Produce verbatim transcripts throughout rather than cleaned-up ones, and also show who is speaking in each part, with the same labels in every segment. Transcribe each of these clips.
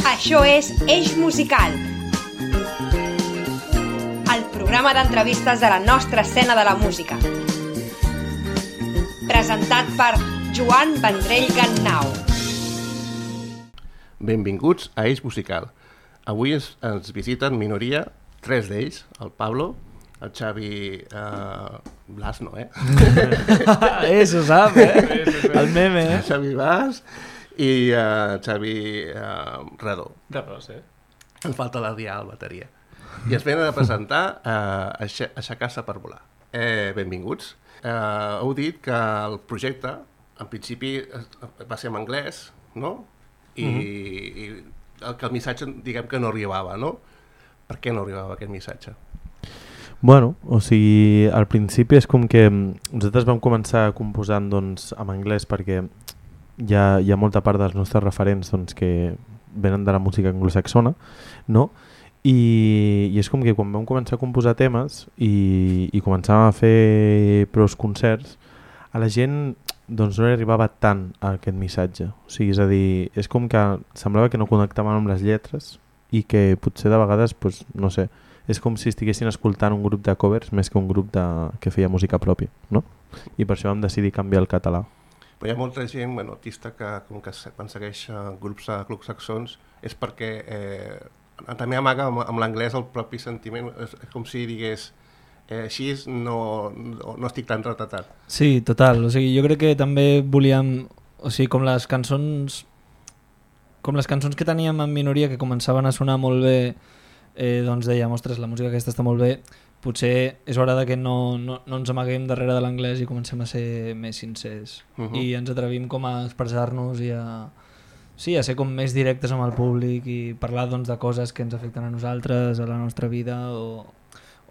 Speaker 1: Això és Eix Musical, el programa d'entrevistes de la nostra escena de la música. Presentat per Joan Vendrell Gannau.
Speaker 2: Benvinguts a Eix Musical. Avui es, ens visiten minoria, tres d'ells, el Pablo, el Xavi eh, Blas, no, eh?
Speaker 3: eh, s'ho sap, eh? El meme, eh?
Speaker 2: Xavi Blas i uh, Xavi uh, Redó.
Speaker 4: Redó, sí.
Speaker 2: Ens falta l'Adrià, el bateria. I es venen a presentar uh, Aixecar-se per volar. Eh, benvinguts. Uh, heu dit que el projecte, en principi, va ser en anglès, no? I, mm-hmm. i el, que el missatge, diguem que no arribava, no? Per què no arribava aquest missatge?
Speaker 3: Bueno, o sigui, al principi és com que nosaltres vam començar composant doncs, en anglès perquè hi ha, hi ha molta part dels nostres referents doncs, que venen de la música anglosaxona, no? I, i és com que quan vam començar a composar temes i, i començàvem a fer pros concerts, a la gent doncs, no li arribava tant a aquest missatge. O sigui, és a dir, és com que semblava que no connectaven amb les lletres i que potser de vegades, pues, no sé, és com si estiguessin escoltant un grup de covers més que un grup de, que feia música pròpia, no? I per això vam decidir canviar el català.
Speaker 2: Però hi ha molta gent, bueno, artista que, com que quan segueix grups anglosaxons és perquè eh, també amaga amb, amb l'anglès el propi sentiment, és com si digués eh, així no, no, no estic tan retratat.
Speaker 5: Sí, total, o sigui, jo crec que també volíem, o sigui, com les cançons com les cançons que teníem en minoria que començaven a sonar molt bé, eh, doncs dèiem, ostres, la música aquesta està molt bé, potser és hora de que no, no, no ens amaguem darrere de l'anglès i comencem a ser més sincers uh-huh. i ens atrevim com a expressar-nos i a, sí, a ser com més directes amb el públic i parlar doncs, de coses que ens afecten a nosaltres, a la nostra vida o,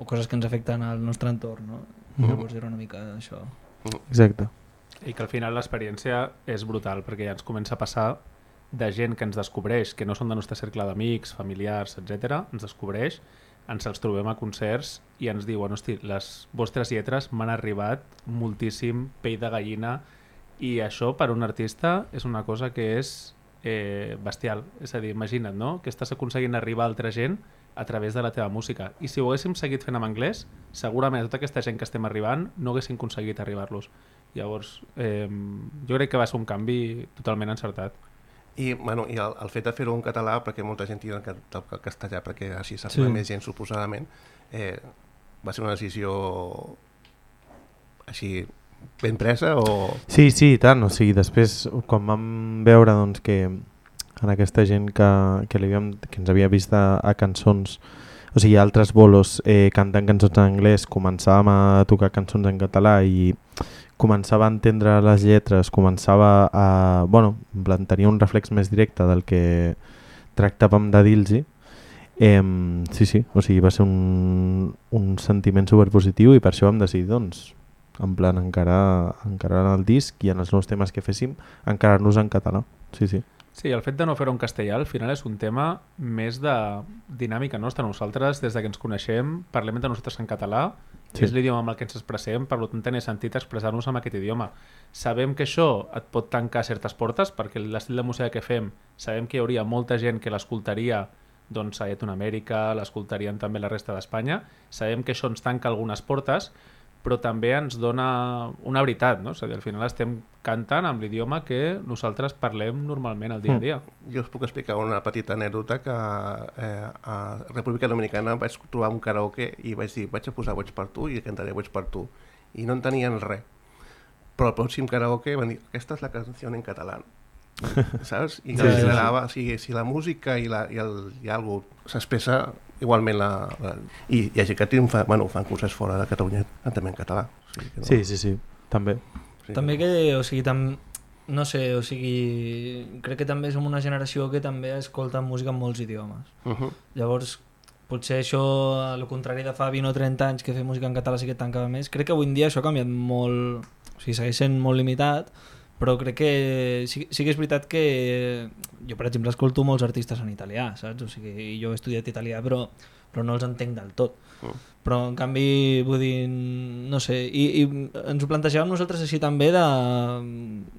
Speaker 5: o coses que ens afecten al nostre entorn, no? Uh-huh. Llavors era una mica això.
Speaker 3: Uh-huh. Exacte.
Speaker 4: I que al final l'experiència és brutal perquè ja ens comença a passar de gent que ens descobreix, que no són del nostre cercle d'amics, familiars, etcètera, ens descobreix, ens els trobem a concerts i ens diuen, hosti, les vostres lletres m'han arribat moltíssim, pell de gallina, i això per un artista és una cosa que és eh, bestial. És a dir, imagina't, no?, que estàs aconseguint arribar a altra gent a través de la teva música. I si ho haguéssim seguit fent en anglès, segurament tota aquesta gent que estem arribant no haguéssim aconseguit arribar-los. Llavors, eh, jo crec que va ser un canvi totalment encertat.
Speaker 2: I, bueno, i el, el fet de fer-ho en català, perquè molta gent tira el, el castellà, perquè així s'arriba sí. més gent, suposadament, eh, va ser una decisió així ben presa o...?
Speaker 3: Sí, sí, i tant. O sigui, després, quan vam veure doncs, que en aquesta gent que, que, havíem, que ens havia vist a, a cançons, o sigui, altres bolos eh, cantant cançons en anglès, començàvem a tocar cançons en català i començava a entendre les lletres, començava a... Bueno, en plan, tenia un reflex més directe del que tractàvem de dir-los. Eh, sí, sí, o sigui, va ser un, un sentiment superpositiu i per això vam decidir, doncs, en plan, encarar, encarar el disc i en els nous temes que féssim, encarar-nos en català. Sí, sí.
Speaker 4: Sí, el fet de no fer-ho en castellà al final és un tema més de dinàmica nostra. Nosaltres, des de que ens coneixem, parlem entre nosaltres en català, sí. És l'idioma amb el que ens expressem, per tant té sentit expressar-nos amb aquest idioma. Sabem que això et pot tancar certes portes, perquè l'estil de música que fem, sabem que hi hauria molta gent que l'escoltaria doncs, a Llatinoamèrica, l'escoltarien també la resta d'Espanya, sabem que això ens tanca algunes portes, però també ens dona una veritat, no? És a dir, al final estem cantant amb l'idioma que nosaltres parlem normalment al dia a dia.
Speaker 2: Mm. Jo us puc explicar una petita anècdota que eh, a República Dominicana vaig trobar un karaoke i vaig dir, vaig a posar Boig per tu i cantaré Boig per tu. I no entenien res. Però al pròxim karaoke van dir, aquesta és la canció en català. Saps? I que sí, generava, sí, sí. O sigui, si la música i, la, i, el, i algo s'expressa igualment la, la, i hi ha gent que triomfa, bueno, fan concerts fora de Catalunya també en català. O sigui que no...
Speaker 3: Sí, sí, sí, també.
Speaker 5: Sí, també que, o sigui, tam... no sé, o sigui, crec que també som una generació que també escolta música en molts idiomes. Uh-huh. Llavors, potser això, al contrari de fa vint o trenta anys que fer música en català sí que tancava més, crec que avui en dia això ha canviat molt, o sigui, segueix sent molt limitat, però crec que sí, sí que és veritat que jo per exemple escolto molts artistes en italià, saps? O sigui, jo he estudiat italià però, però no els entenc del tot. Mm. Però en canvi, vull dir, no sé, i, i ens ho plantejàvem nosaltres així també de,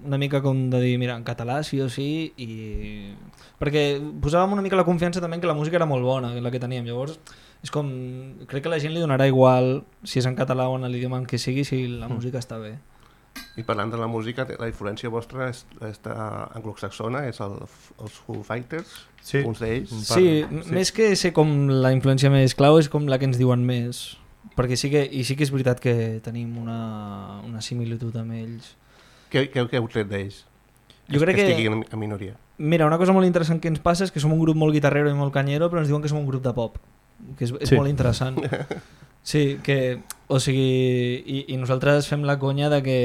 Speaker 5: una mica com de dir, mira, en català sí o sí, i perquè posàvem una mica la confiança també que la música era molt bona, la que teníem, llavors és com, crec que a la gent li donarà igual si és en català o en l'idioma en què sigui, si la mm. música està bé.
Speaker 2: I parlant de la música, la influència vostra és, és anglosaxona, és el, els Foo Fighters, sí. uns d'ells.
Speaker 5: Sí, sí, més que ser com la influència més clau, és com la que ens diuen més. Perquè sí que, i sí que és veritat que tenim una, una similitud amb ells.
Speaker 2: Què, què, què heu tret d'ells?
Speaker 5: Jo crec
Speaker 2: que
Speaker 5: que
Speaker 2: estiguin en minoria.
Speaker 5: Mira, una cosa molt interessant que ens passa és que som un grup molt guitarrero i molt canyero, però ens diuen que som un grup de pop, que és, és sí. molt interessant. Sí, que, o sigui, i, i nosaltres fem la conya de que,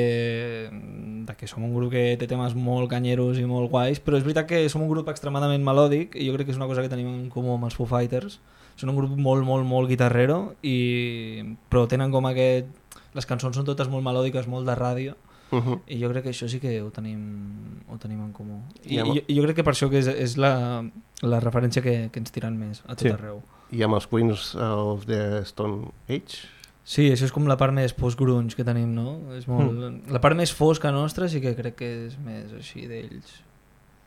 Speaker 5: de que som un grup que té temes molt canyeros i molt guais, però és veritat que som un grup extremadament melòdic i jo crec que és una cosa que tenim en comú amb els Foo Fighters. Són un grup molt, molt, molt guitarrero, i, però tenen com aquest... Les cançons són totes molt melòdiques, molt de ràdio, uh -huh. i jo crec que això sí que ho tenim, ho tenim en comú. I, I, amb... i jo crec que per això que és, és la, la referència que, que ens tiren més a tot sí. arreu.
Speaker 2: I amb els Queens of the Stone Age?
Speaker 5: Sí, això és com la part més post-grunge que tenim, no? És molt... mm. La part més fosca nostra sí que crec que és més així d'ells.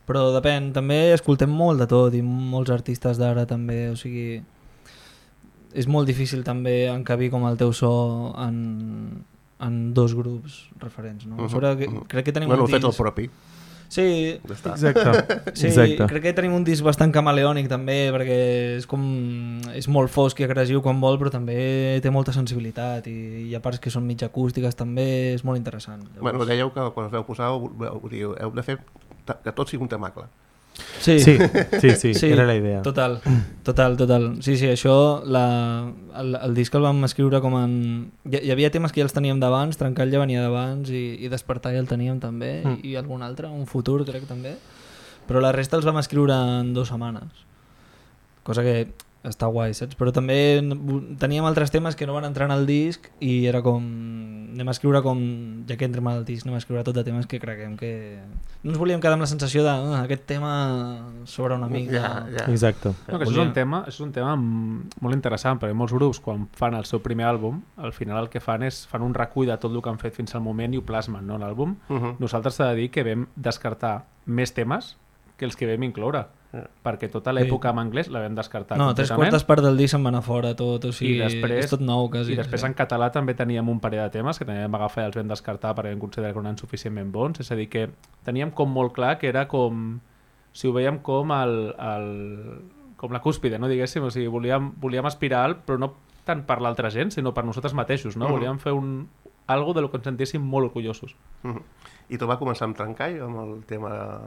Speaker 5: Però depèn, també escoltem molt de tot i molts artistes d'ara també, o sigui... És molt difícil també encabir com el teu so en, en dos grups referents, no? Uh -huh. Sobre, uh -huh. crec que tenim
Speaker 2: bueno,
Speaker 5: un disc...
Speaker 2: fet el propi.
Speaker 5: Sí,
Speaker 3: exacte.
Speaker 5: sí
Speaker 3: exacte.
Speaker 5: Crec que tenim un disc bastant camaleònic també, perquè és com és molt fosc i agressiu quan vol, però també té molta sensibilitat i hi ha parts que són mig acústiques també, és molt interessant. Llavors...
Speaker 2: Bueno, dèieu que quan us veu posar heu, heu de fer que tot sigui un temacle.
Speaker 5: Sí.
Speaker 3: Sí, sí, sí, sí, era la idea.
Speaker 5: Total, total, total. Sí, sí, això, la, el, el disc el vam escriure com en... Hi, hi havia temes que ja els teníem d'abans, Trencall ja venia d'abans i, i Despertar ja el teníem també, mm. i, i algun altre, un futur crec també, però la resta els vam escriure en dues setmanes, cosa que està guai, saps? Però també teníem altres temes que no van entrar en el disc i era com... anem a escriure com... ja que entrem al disc, anem a escriure tot de temes que creguem que... No ens volíem quedar amb la sensació de oh, aquest tema sobre una mica...
Speaker 2: Ja, ja.
Speaker 3: Exacte.
Speaker 4: No, que això, és un tema, això és un tema molt interessant, perquè molts grups, quan fan el seu primer àlbum, al final el que fan és fan un recull de tot el que han fet fins al moment i ho plasmen, no, l'àlbum. Uh -huh. Nosaltres s'ha de dir que vam descartar més temes que els que vam incloure. Yeah. Perquè tota l'època sí. en anglès la vam descartar
Speaker 5: no, tres quartes parts del disc se'n van a fora tot, o sigui,
Speaker 4: I després,
Speaker 5: és tot nou quasi.
Speaker 4: I després sí. en català també teníem un parell de temes que també vam agafar i els vam descartar perquè vam considerar que no eren suficientment bons, és a dir que teníem com molt clar que era com si ho veiem com el, el com la cúspide, no diguéssim, o sigui, volíem, volíem aspirar alt, però no tant per l'altra gent sinó per nosaltres mateixos, no? Uh -huh. Volíem fer un, algo de lo que ens sentéssim molt orgullosos.
Speaker 2: Uh -huh. I tot va començar amb Trencall, amb el tema...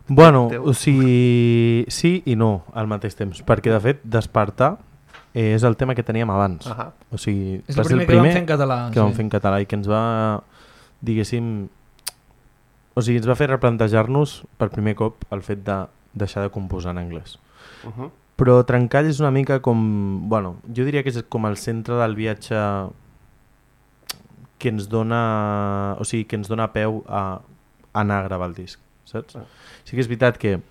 Speaker 3: Bueno, o sigui, sí i no al mateix temps, perquè de fet Despertar és el tema que teníem abans. Uh -huh. O sigui,
Speaker 5: és el primer, el primer que vam fer en català.
Speaker 3: Que
Speaker 5: sí.
Speaker 3: vam fer en català i que ens va, diguéssim, o sigui, ens va fer replantejar-nos per primer cop el fet de deixar de composar en anglès. Uh -huh. Però Trencall és una mica com, bueno, jo diria que és com el centre del viatge que ens dona, o sigui, que ens dona peu a anar a gravar el disc, saps? Uh -huh. Sí que és veritat que,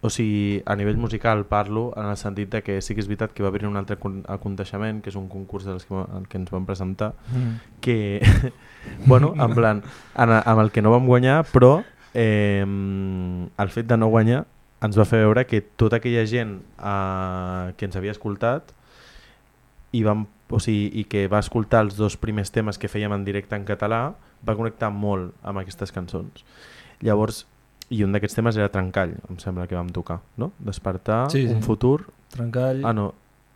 Speaker 3: o sigui, a nivell musical parlo en el sentit de que sí que és veritat que va haver un altre aconteixement, que és un concurs dels que, en què ens vam presentar, mm. que, bueno, en plan, en, amb el que no vam guanyar, però eh, el fet de no guanyar ens va fer veure que tota aquella gent eh, que ens havia escoltat i, vam, o sigui, i que va escoltar els dos primers temes que fèiem en directe en català va connectar molt amb aquestes cançons. Llavors, i un d'aquests temes era Trencall, em sembla que vam tocar, no? Despertar,
Speaker 5: sí, sí.
Speaker 3: un futur...
Speaker 5: Trencall...
Speaker 3: Ah, no.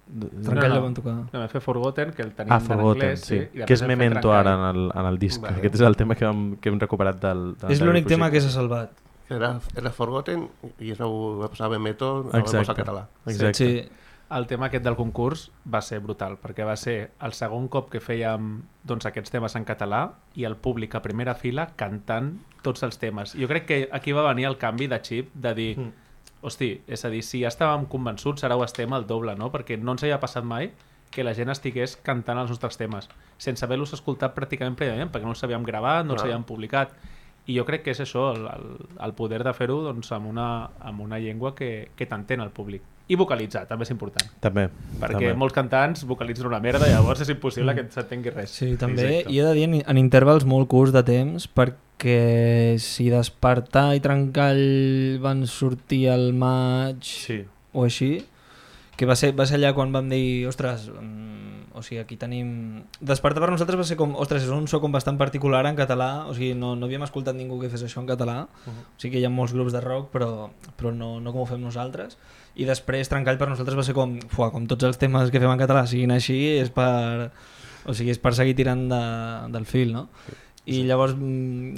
Speaker 5: Trencall no, no. la vam tocar.
Speaker 4: No, vam fer Forgotten, que el tenim
Speaker 3: ah,
Speaker 4: en anglès, sí.
Speaker 3: sí. Que és Memento ara en el, en el disc. Vale. Aquest és el tema que hem, que hem recuperat del... del
Speaker 5: és l'únic tema que s'ha salvat.
Speaker 2: Era, era Forgotten i es va passar Memento a la català.
Speaker 3: Exacte.
Speaker 5: Sí.
Speaker 4: El tema aquest del concurs va ser brutal, perquè va ser el segon cop que fèiem doncs, aquests temes en català i el públic a primera fila cantant tots els temes. Jo crec que aquí va venir el canvi de xip de dir, mm. hosti, és a dir, si ja estàvem convençuts, ara ho estem al doble, no? Perquè no ens havia passat mai que la gent estigués cantant els nostres temes, sense haver-los escoltat pràcticament prèviament, perquè no els havíem gravat, no els havíem publicat. I jo crec que és això, el, el, el poder de fer-ho doncs, amb, una, amb una llengua que, que t'entén el públic. I vocalitzar, també és important.
Speaker 3: També.
Speaker 4: Perquè
Speaker 3: també.
Speaker 4: molts cantants vocalitzen una merda i llavors és impossible que s'entengui res.
Speaker 5: Sí, també.
Speaker 4: Exacte.
Speaker 5: I he de dir en, en intervals molt curts de temps, perquè si Despertar i Trencall van sortir al maig
Speaker 3: Sí.
Speaker 5: o així, que va ser, va ser allà quan vam dir, ostres, mm, o sigui, aquí tenim... Despertar per nosaltres va ser com, ostres, és un so com bastant particular en català, o sigui, no, no havíem escoltat ningú que fes això en català, uh-huh. O sigui que hi ha molts grups de rock, però, però no, no com ho fem nosaltres. I després Trencall per nosaltres va ser com, fuà, com tots els temes que fem en català siguin així, és per, o sigui, és per seguir tirant de, del fil, no? I sí. Llavors,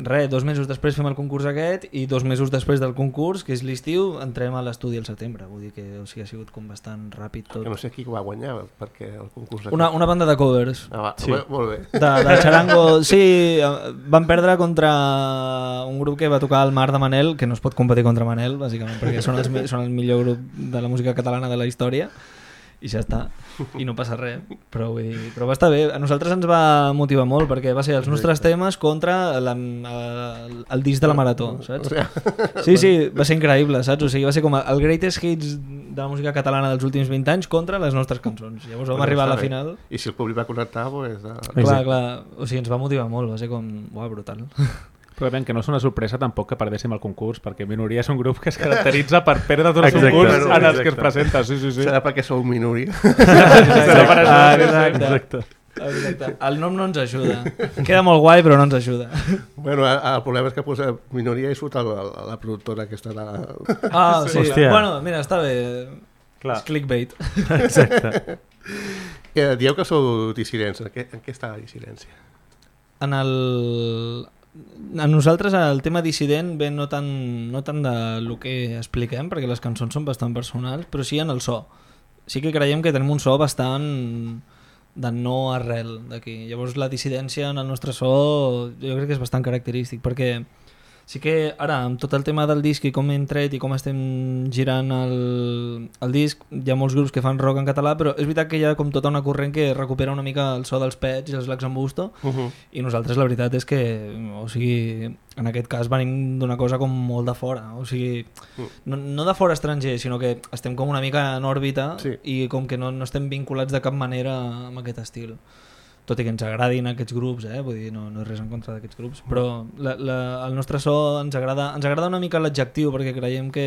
Speaker 5: res, dos mesos després fem el concurs aquest i dos mesos després del concurs, que és l'estiu, entrem a l'estudi al setembre. Vull dir que o sigui, ha sigut com bastant ràpid tot.
Speaker 2: Que no sé qui va guanyar, perquè el concurs... Aquest...
Speaker 5: Una, una banda de covers.
Speaker 2: Ah, va,
Speaker 3: Sí.
Speaker 2: molt bé.
Speaker 5: De, de Charango, sí, van perdre contra un grup que va tocar al Mar de Manel, que no es pot competir contra Manel, bàsicament, perquè són, els, són el millor grup de la música catalana de la història. I ja està, i no passa res, però, vull dir, però va estar bé. A nosaltres ens va motivar molt perquè va ser els nostres temes contra la, el, el disc de la Marató, saps? Sí, sí, va ser increïble, saps? O sigui, va ser com el greatest hits de la música catalana dels últims vint anys contra les nostres cançons. Llavors vam arribar a la final.
Speaker 2: I si el públic va connectar, doncs...
Speaker 5: Clar, clar, o sigui, ens va motivar molt, va ser com, uau, brutal.
Speaker 4: Però ben, que no és una sorpresa tampoc que perdéssim el concurs, perquè Minoria és un grup que es caracteritza per perdre tots els
Speaker 3: Exacte,
Speaker 4: concurs en els
Speaker 3: exacte.
Speaker 4: que es presenta. Sí, sí, sí.
Speaker 2: Serà perquè sou minoria.
Speaker 5: Exacte, ah, exacte.
Speaker 3: Exacte.
Speaker 5: Exacte. El nom no ens ajuda. Queda molt guai, però no ens ajuda.
Speaker 2: Bueno, el problema és que posa minoria i surt el, el, la productora aquesta de...
Speaker 5: Ah, sí.
Speaker 3: Hòstia.
Speaker 5: Bueno, mira, està bé.
Speaker 3: Clar.
Speaker 5: És clickbait.
Speaker 3: Exacte.
Speaker 2: Eh, dieu que sou dissidents. En què, en què està la dissidència?
Speaker 5: En el... A nosaltres el tema dissident ve no tant, no tant de lo que expliquem, perquè les cançons són bastant personals, però sí en el so. Sí que creiem que tenim un so bastant de no arrel d'aquí. Llavors la dissidència en el nostre so jo crec que és bastant característic, perquè sí que ara amb tot el tema del disc i com hem tret i com estem girant el, el disc, hi ha molts grups que fan rock en català, però és veritat que hi ha com tota una corrent que recupera una mica el so dels Pets i els Lacs en Busto,
Speaker 2: Uh-huh.
Speaker 5: i nosaltres la veritat és que, o sigui, en aquest cas venim d'una cosa com molt de fora, o sigui, no, no de fora estranger, sinó que estem com una mica en òrbita,
Speaker 2: Sí.
Speaker 5: i com que no, no estem vinculats de cap manera amb aquest estil. Tot i que ens agradin aquests grups, eh? Vull dir, no, no és res en contra d'aquests grups, però la, la, el nostre so ens agrada, ens agrada una mica l'adjectiu, perquè creiem que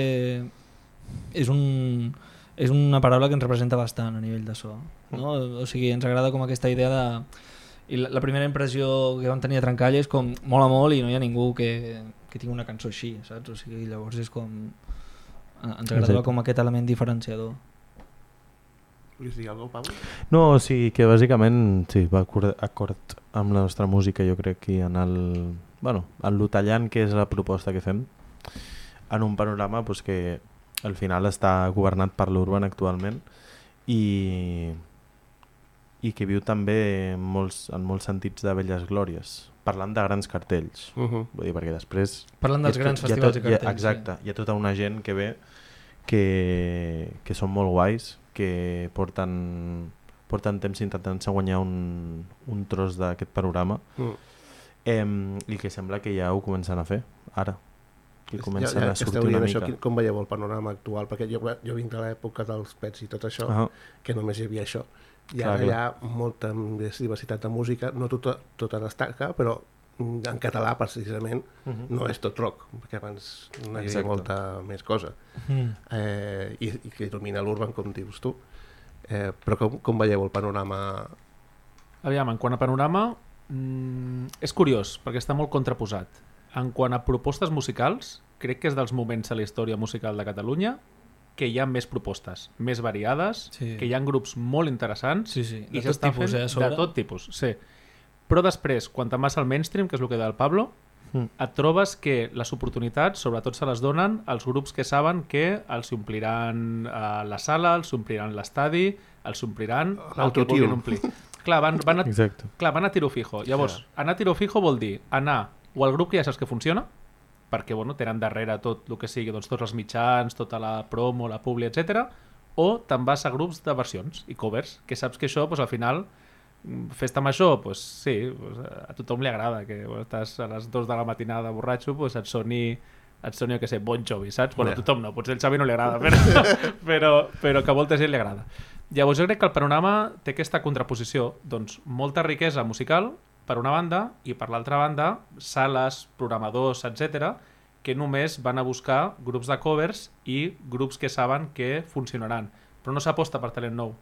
Speaker 5: és, un, és una paraula que ens representa bastant a nivell de so, no? O sigui, ens agrada com aquesta idea de... I la, la primera impressió que vam tenir a Trencall és com mola molt i no hi ha ningú que, que tingui una cançó així, saps? O sigui, llavors és com... Ens agradava com aquest element diferenciador.
Speaker 2: Volies dir alguna cosa, Pau?
Speaker 3: No, o sigui que bàsicament sí, va acord, acord amb la nostra música, jo crec que en el... Bueno, en lo tallant que és la proposta que fem, en un panorama pues, que al final està governat per l'Urban actualment i, i que viu també en molts, en molts sentits de velles glòries, parlant de grans cartells.
Speaker 2: Uh-huh.
Speaker 3: Vull dir, perquè després...
Speaker 5: Parlant dels
Speaker 3: hi ha
Speaker 5: grans
Speaker 3: tot- hi ha
Speaker 5: festivals
Speaker 3: tot-
Speaker 5: i cartells.
Speaker 3: Hi ha, exacte, sí. Hi ha tota una gent que ve que, que són molt guais, que porten, porten temps intentant guanyar un, un tros d'aquest panorama
Speaker 2: Mm.
Speaker 3: eh, i que sembla que ja ho comencen a fer ara, que comencen
Speaker 2: ja, ja
Speaker 3: a sortir
Speaker 2: esteu
Speaker 3: una
Speaker 2: dient
Speaker 3: mica.
Speaker 2: això, quin- com veieu el panorama actual? Perquè jo, jo vinc de l'època dels Pets i tot això,
Speaker 3: Ah,
Speaker 2: que només hi havia això. I
Speaker 3: Clar,
Speaker 2: ara hi
Speaker 3: clar.
Speaker 2: ha molta més diversitat de música, no tota, tota destaca, però mm, en català precisament
Speaker 3: uh -huh.
Speaker 2: no és tot rock, perquè abans no hi havia
Speaker 3: Exacte.
Speaker 2: molta més cosa.
Speaker 5: Mm.
Speaker 2: Eh, i, i que domina l'urban, com dius tu. Eh, però com, com veieu el panorama?
Speaker 4: Aviam, en quant a panorama, mm, és curiós, perquè està molt contraposat. En quant a propostes musicals, crec que és dels moments a la història musical de Catalunya que hi ha més propostes, més variades,
Speaker 5: Sí.
Speaker 4: que hi ha grups molt interessants
Speaker 5: Sí, sí, de
Speaker 4: i
Speaker 5: tot
Speaker 4: s'està
Speaker 5: tipus,
Speaker 4: fent
Speaker 5: eh, a sobre.
Speaker 4: de tot tipus, sí. Però després, quan te'n vas al mainstream, que és el que deia el Pablo,
Speaker 3: Mm.
Speaker 4: et trobes que les oportunitats sobretot se les donen als grups que saben que els ompliran eh, la sala, els ompliran l'estadi, els ompliran el que
Speaker 2: L'autotune.
Speaker 4: vulguin omplir. Clar, van, van, a,
Speaker 3: Exacte.
Speaker 4: clar, van a tiro fijo. Llavors, anar a tiro fijo vol dir anar o al grup que ja saps que funciona, perquè bueno, tenen darrere tot el que sigui, doncs, tots els mitjans, tota la promo, la publi, etcètera, o te'n vas a grups de versions i covers, que saps que això doncs, al final Festa major, pues sí, pues a tothom li agrada que bueno, estàs a les dues de la matinada borratxo, pues et soni, et soni, jo què sé, Bon Jovi, saps? Bueno, a tothom no, potser el Xavi no li agrada, però, però, però que a molta gent li agrada. Llavors jo crec que el panorama té aquesta contraposició, doncs molta riquesa musical per una banda i per l'altra banda sales, programadors, etcètera, que només van a buscar grups de covers i grups que saben que funcionaran, però no s'aposta per talent nou.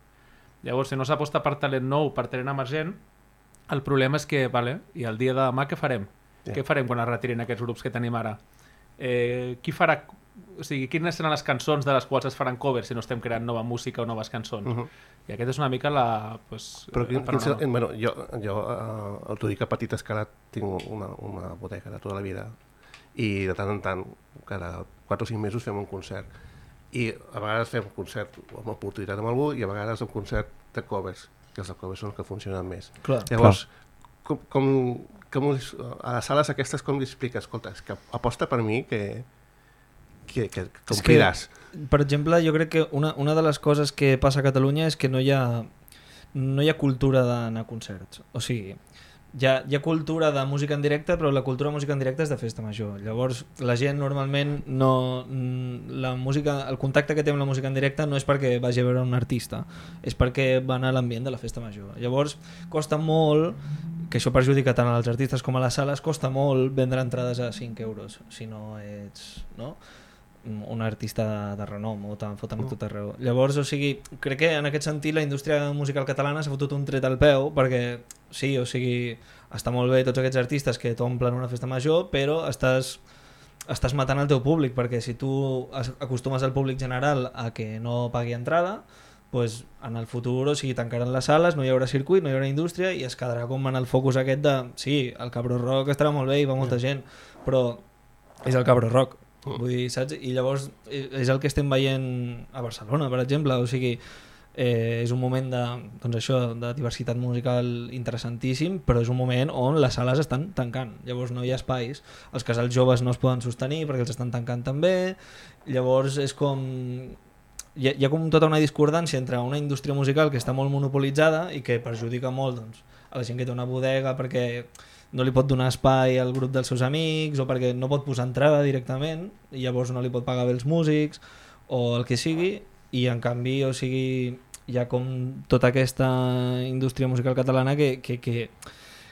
Speaker 4: Llavors, si no s'aposta per talent nou, per talent emergent, el problema és que, vale, i el dia de demà què farem? Yeah. Què farem quan es retirin aquests grups que tenim ara? Eh, qui farà, o sigui, quines seran les cançons de les quals es faran covers si no estem creant nova música o noves cançons? Uh -huh. I aquest és una mica la... Pues,
Speaker 2: Però quin, quin, bueno, jo, jo uh, t'ho dic a petita escala, tinc una, una bodega de tota la vida i de tant en tant, cada quatre o cinc mesos fem un concert. I a vegades fem un concert amb oportunitat amb algú i a vegades un concert de covers, que els de covers són els que funcionen més.
Speaker 5: Clar,
Speaker 2: Llavors, clar. Com, com, com a les sales aquestes com li expliques? Escolta, és que aposta per mi que, que, que, que ompliràs.
Speaker 5: Per exemple, jo crec que una, una de les coses que passa a Catalunya és que no hi ha, no hi ha cultura d'anar a concerts. O sigui, hi ha, hi ha cultura de música en directe, però la cultura de música en directe és de festa major. Llavors, la gent normalment no... La música, el contacte que té amb la música en directe no és perquè vagi a veure un artista, és perquè va anar a l'ambient de la festa major. Llavors, costa molt, que això perjudica tant als artistes com a les sales, costa molt vendre entrades a cinc euros, si no ets... No? un artista de, de renom o te'n foten a tot arreu. Llavors, o sigui, crec que en aquest sentit la indústria musical catalana s'ha fotut un tret al peu perquè, sí, o sigui, està molt bé tots aquests artistes que t'omplen una festa major, però estàs, estàs matant el teu públic, perquè si tu acostumes al públic general a que no pagui entrada, pues en el futur, o sigui, tancaran les sales, no hi haurà circuit, no hi haurà indústria i es quedarà com en el focus aquest de, sí, el Cabró Rock estarà molt bé i va molta gent, però és el Cabró Rock. Vull dir, saps? I llavors és el que estem veient a Barcelona, per exemple, o sigui, eh, és un moment de, doncs això, de diversitat musical interessantíssim, però és un moment on les sales estan tancant, llavors no hi ha espais, els casals joves no es poden sostenir perquè els estan tancant també, llavors és com... Hi ha, hi ha com tota una discordància entre una indústria musical que està molt monopolitzada i que perjudica molt doncs, a la gent que té una bodega perquè no li pot donar espai al grup dels seus amics o perquè no pot posar entrada directament i llavors no li pot pagar bé els músics o el que sigui, i en canvi, o sigui, hi ha com tota aquesta indústria musical catalana que, que, que,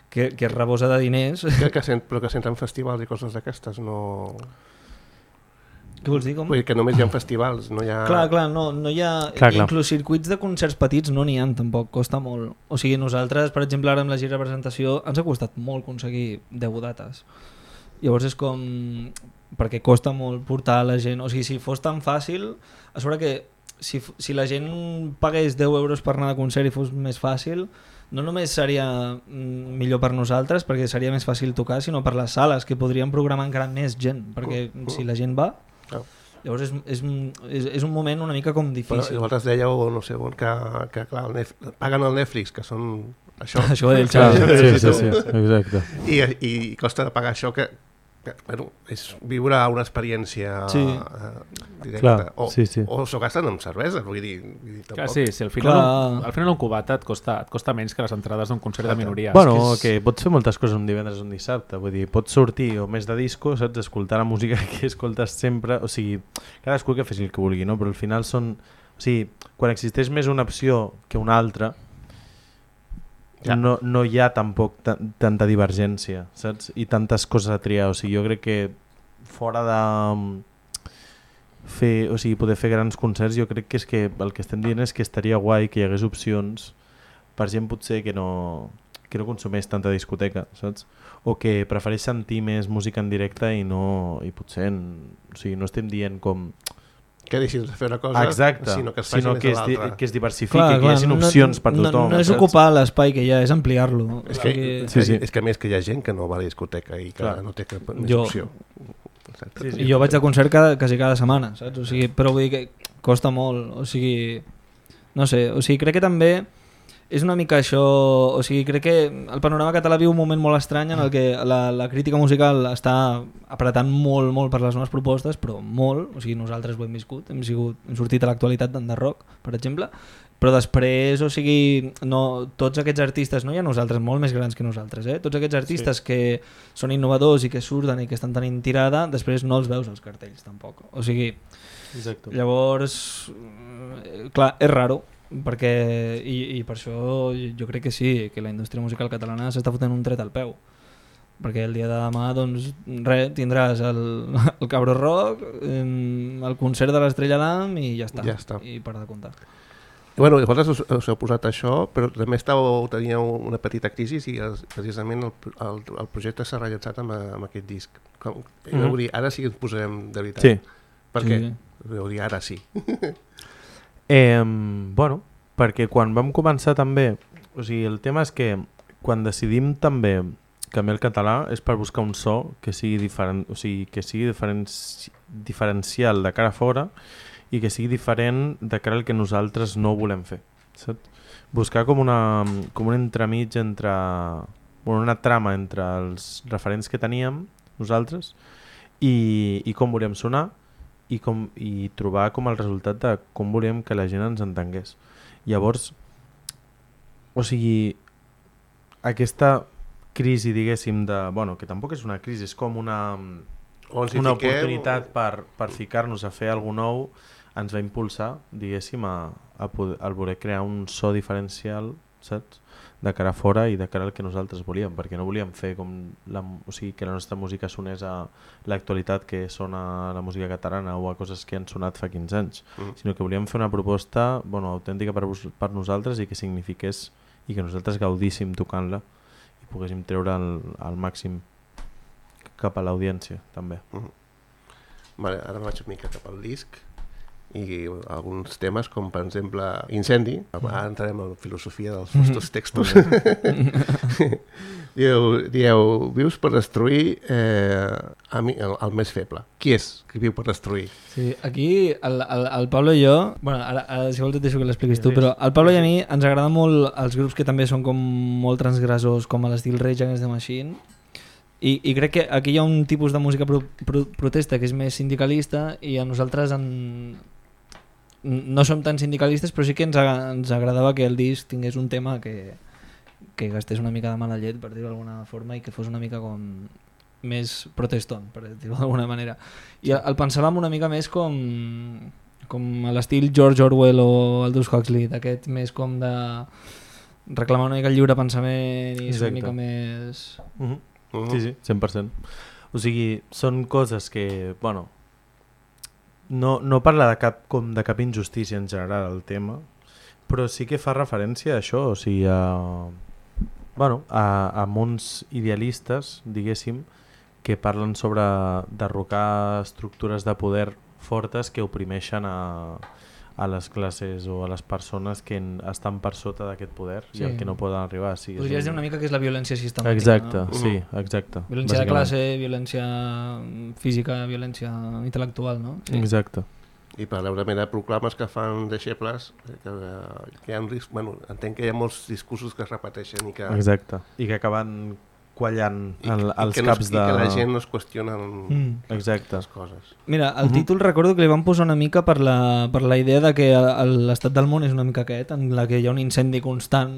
Speaker 5: que, que es rebosa de diners.
Speaker 2: Que, que sent, però que senten festivals i coses d'aquestes, no...
Speaker 5: Què vols dir, com?
Speaker 2: Vull dir que només hi ha festivals, no hi ha...
Speaker 5: Clar, clar, no, no hi ha...
Speaker 3: Clar, clar.
Speaker 5: Inclús circuits de concerts petits no n'hi ha tampoc, costa molt. O sigui, nosaltres, per exemple, ara amb la gira de presentació ens ha costat molt aconseguir deu dates. Llavors és com... perquè costa molt portar la gent... O sigui, si fos tan fàcil... A sobre que si, si la gent pagués deu euros per anar de concert i fos més fàcil, no només seria millor per nosaltres, perquè seria més fàcil tocar, sinó per les sales, que podrien programar encara més gent, perquè si la gent va...
Speaker 2: Oh.
Speaker 5: Llavors és, és, és, és un moment una mica com difícil.
Speaker 2: Però vosaltres dèieu, no sé, que, que clar, el Netflix, paguen el Netflix, que són això.
Speaker 5: Això del Xavi.
Speaker 3: Sí, sí, sí, exacte.
Speaker 2: I, i costa de pagar això que, que bueno, és viure una experiència
Speaker 5: sí.
Speaker 2: uh, directa.
Speaker 3: Clar,
Speaker 2: o,
Speaker 3: sí, sí.
Speaker 2: o s'ho gasten amb cervesa, vull dir, vull dir tampoc.
Speaker 4: Clar, sí, sí, al final, un, al final un cubata et costa, et costa menys que les entrades d'un concert de minoria.
Speaker 3: Bueno,
Speaker 4: és
Speaker 3: que, és... que pots fer moltes coses un divendres o un dissabte, vull dir, pots sortir o més de disco, saps, escoltar la música que escoltes sempre, o sigui, cadascú que faci el que vulgui, no? Però al final són... O sigui, quan existeix més una opció que una altra, ja. no, no hi ha tampoc tanta divergència, saps? I tantes coses a triar, o sigui, jo crec que fora de... fer, o sigui, poder fer grans concerts, jo crec que és que el que estem dient és que estaria guai que hi hagués opcions per gent potser que no, que no consumeix tanta discoteca, saps? O que prefereix sentir més música en directe i no, i potser en, o sigui, no estem dient com
Speaker 2: que deixis de fer una cosa,
Speaker 3: exacte,
Speaker 2: sinó que es faci
Speaker 3: sinó
Speaker 2: més
Speaker 3: que
Speaker 2: de l'altra.
Speaker 3: Es, que es diversifiqui,
Speaker 5: clar,
Speaker 3: que hi hagi opcions
Speaker 5: no,
Speaker 3: per tothom.
Speaker 5: No, no és
Speaker 3: saps?
Speaker 5: ocupar l'espai que hi ha, és ampliar-lo.
Speaker 2: És que,
Speaker 5: que...
Speaker 2: sí, sí. És que a més que hi ha gent que no va a la discoteca i que clar. No té cap més
Speaker 5: jo...
Speaker 2: opció.
Speaker 5: Sí, sí, jo vaig de concert cada, quasi cada setmana, saps? O sigui, però vull dir que costa molt, o sigui, no sé, o sigui, crec que també és una mica això, o sigui, crec que el panorama català viu un moment molt estrany en el que la, la crítica musical està apretant molt, molt per les noves propostes, però molt, o sigui, nosaltres ho hem viscut, hem, sigut, hem sortit a l'actualitat d'Underrock, per exemple, però després, o sigui, no, tots aquests artistes, no hi ha nosaltres, molt més grans que nosaltres, eh? Tots aquests artistes sí. que són innovadors i que surten i que estan tenint tirada, després no els veus als cartells tampoc, o sigui, Exacte. llavors, clar, és raro, perquè i, i per això jo crec que sí, que la indústria musical catalana s'està fotent un tret al peu, perquè el dia de demà doncs res, tindràs el, el Cabro Rock, el concert de l'Estrella d'Am i ja està,
Speaker 2: ja està. I
Speaker 5: per de comptar.
Speaker 2: I bueno, vosaltres us, us heu posat això, però també estàveu, teníeu una petita crisi i precisament el, el, el projecte s'ha realitzat amb, amb aquest disc. Com, mm-hmm. Vull dir, ara sí que ens posarem de veritat.
Speaker 3: Sí.
Speaker 2: Per
Speaker 5: sí.
Speaker 2: què? Vull dir, ara sí.
Speaker 3: Eh, bueno, perquè quan vam començar també, o sigui, el tema és que quan decidim també canviar el català és per buscar un so que sigui diferent, o sigui, que sigui diferenci diferencial de cara a fora i que sigui diferent de cara al que nosaltres no volem fer, saps? Buscar com una com un entremig entre bueno, una trama entre els referents que teníem nosaltres i, i com volíem sonar i, com, i trobar com el resultat de com volíem que la gent ens entengués. Llavors, o sigui, aquesta crisi, diguéssim, de, bueno, que tampoc és una crisi, és com una, una oportunitat per, per ficar-nos a fer alguna nou, ens va impulsar, diguéssim, a, a, poder, a voler crear un so diferencial, saps? De cara a fora i de cara al que nosaltres volíem, perquè no volíem fer com la, o sigui, que la nostra música sonés a l'actualitat que sona la música catalana o a coses que han sonat fa quinze anys, mm. sinó que volíem fer una proposta bueno, autèntica per, per nosaltres i que signifiqués i que nosaltres gaudíssim tocant-la i poguéssim treure el, el màxim cap a l'audiència també.
Speaker 2: Mm. Vale, ara vaig una mica cap al disc i alguns temes com per exemple Incendi, ara entrarem en la filosofia dels vostres textos. dieu, dieu, vius per destruir eh, a mi, el, el més feble. Qui és que viu per destruir?
Speaker 5: Sí, aquí el, el, el Pablo i jo, bueno, ara, ara si vols et deixo que l'expliquis tu, però el Pablo i a mi ens agrada molt els grups que també són com molt transgressors, com a l'estil Rage Against the Machine. I, i crec que aquí hi ha un tipus de música pro, pro, protesta que és més sindicalista i a nosaltres en, no som tan sindicalistes, però sí que ens, ens agradava que el disc tingués un tema que, que gastés una mica de mala llet, per dir-ho d'alguna forma, i que fos una mica com més proteston, per dir-ho d'alguna manera. I el, el pensàvem una mica més com, com a l'estil George Orwell o Aldous Huxley, d'aquest més com de reclamar una mica el lliure pensament i ser una mica més...
Speaker 3: Uh-huh. Uh-huh. Sí, sí, cent per cent. O sigui, són coses que, bueno, no, no parla de cap, com de cap injustícia en general el tema, però sí que fa referència a això, o sigui, a, bueno, a, a mons idealistes, diguéssim, que parlen sobre derrocar estructures de poder fortes que oprimeixen a, a les classes o a les persones que en, estan per sota d'aquest poder sí. i el que no poden arribar. Sí,
Speaker 5: podries dir un... una mica que és la violència sistemàtica.
Speaker 3: Exacte,
Speaker 5: no?
Speaker 3: sí, exacte.
Speaker 5: Violència de classe, violència física, violència intel·lectual, no? Sí.
Speaker 3: Exacte.
Speaker 2: I paral·lelament a proclames que fan deixebles, que, que hi ha un risc, bueno, entenc que hi ha molts discursos que es repeteixen i que...
Speaker 3: Exacte, i que acaben quallant el, els
Speaker 2: I
Speaker 3: caps
Speaker 2: no,
Speaker 3: de...
Speaker 2: I que la gent no es qüestiona
Speaker 3: mm. Exacte.
Speaker 2: les coses.
Speaker 5: Mira, el títol uh-huh. recordo que li van posar una mica per la, per la idea de que l'estat del món és una mica aquest, en la que hi ha un incendi constant.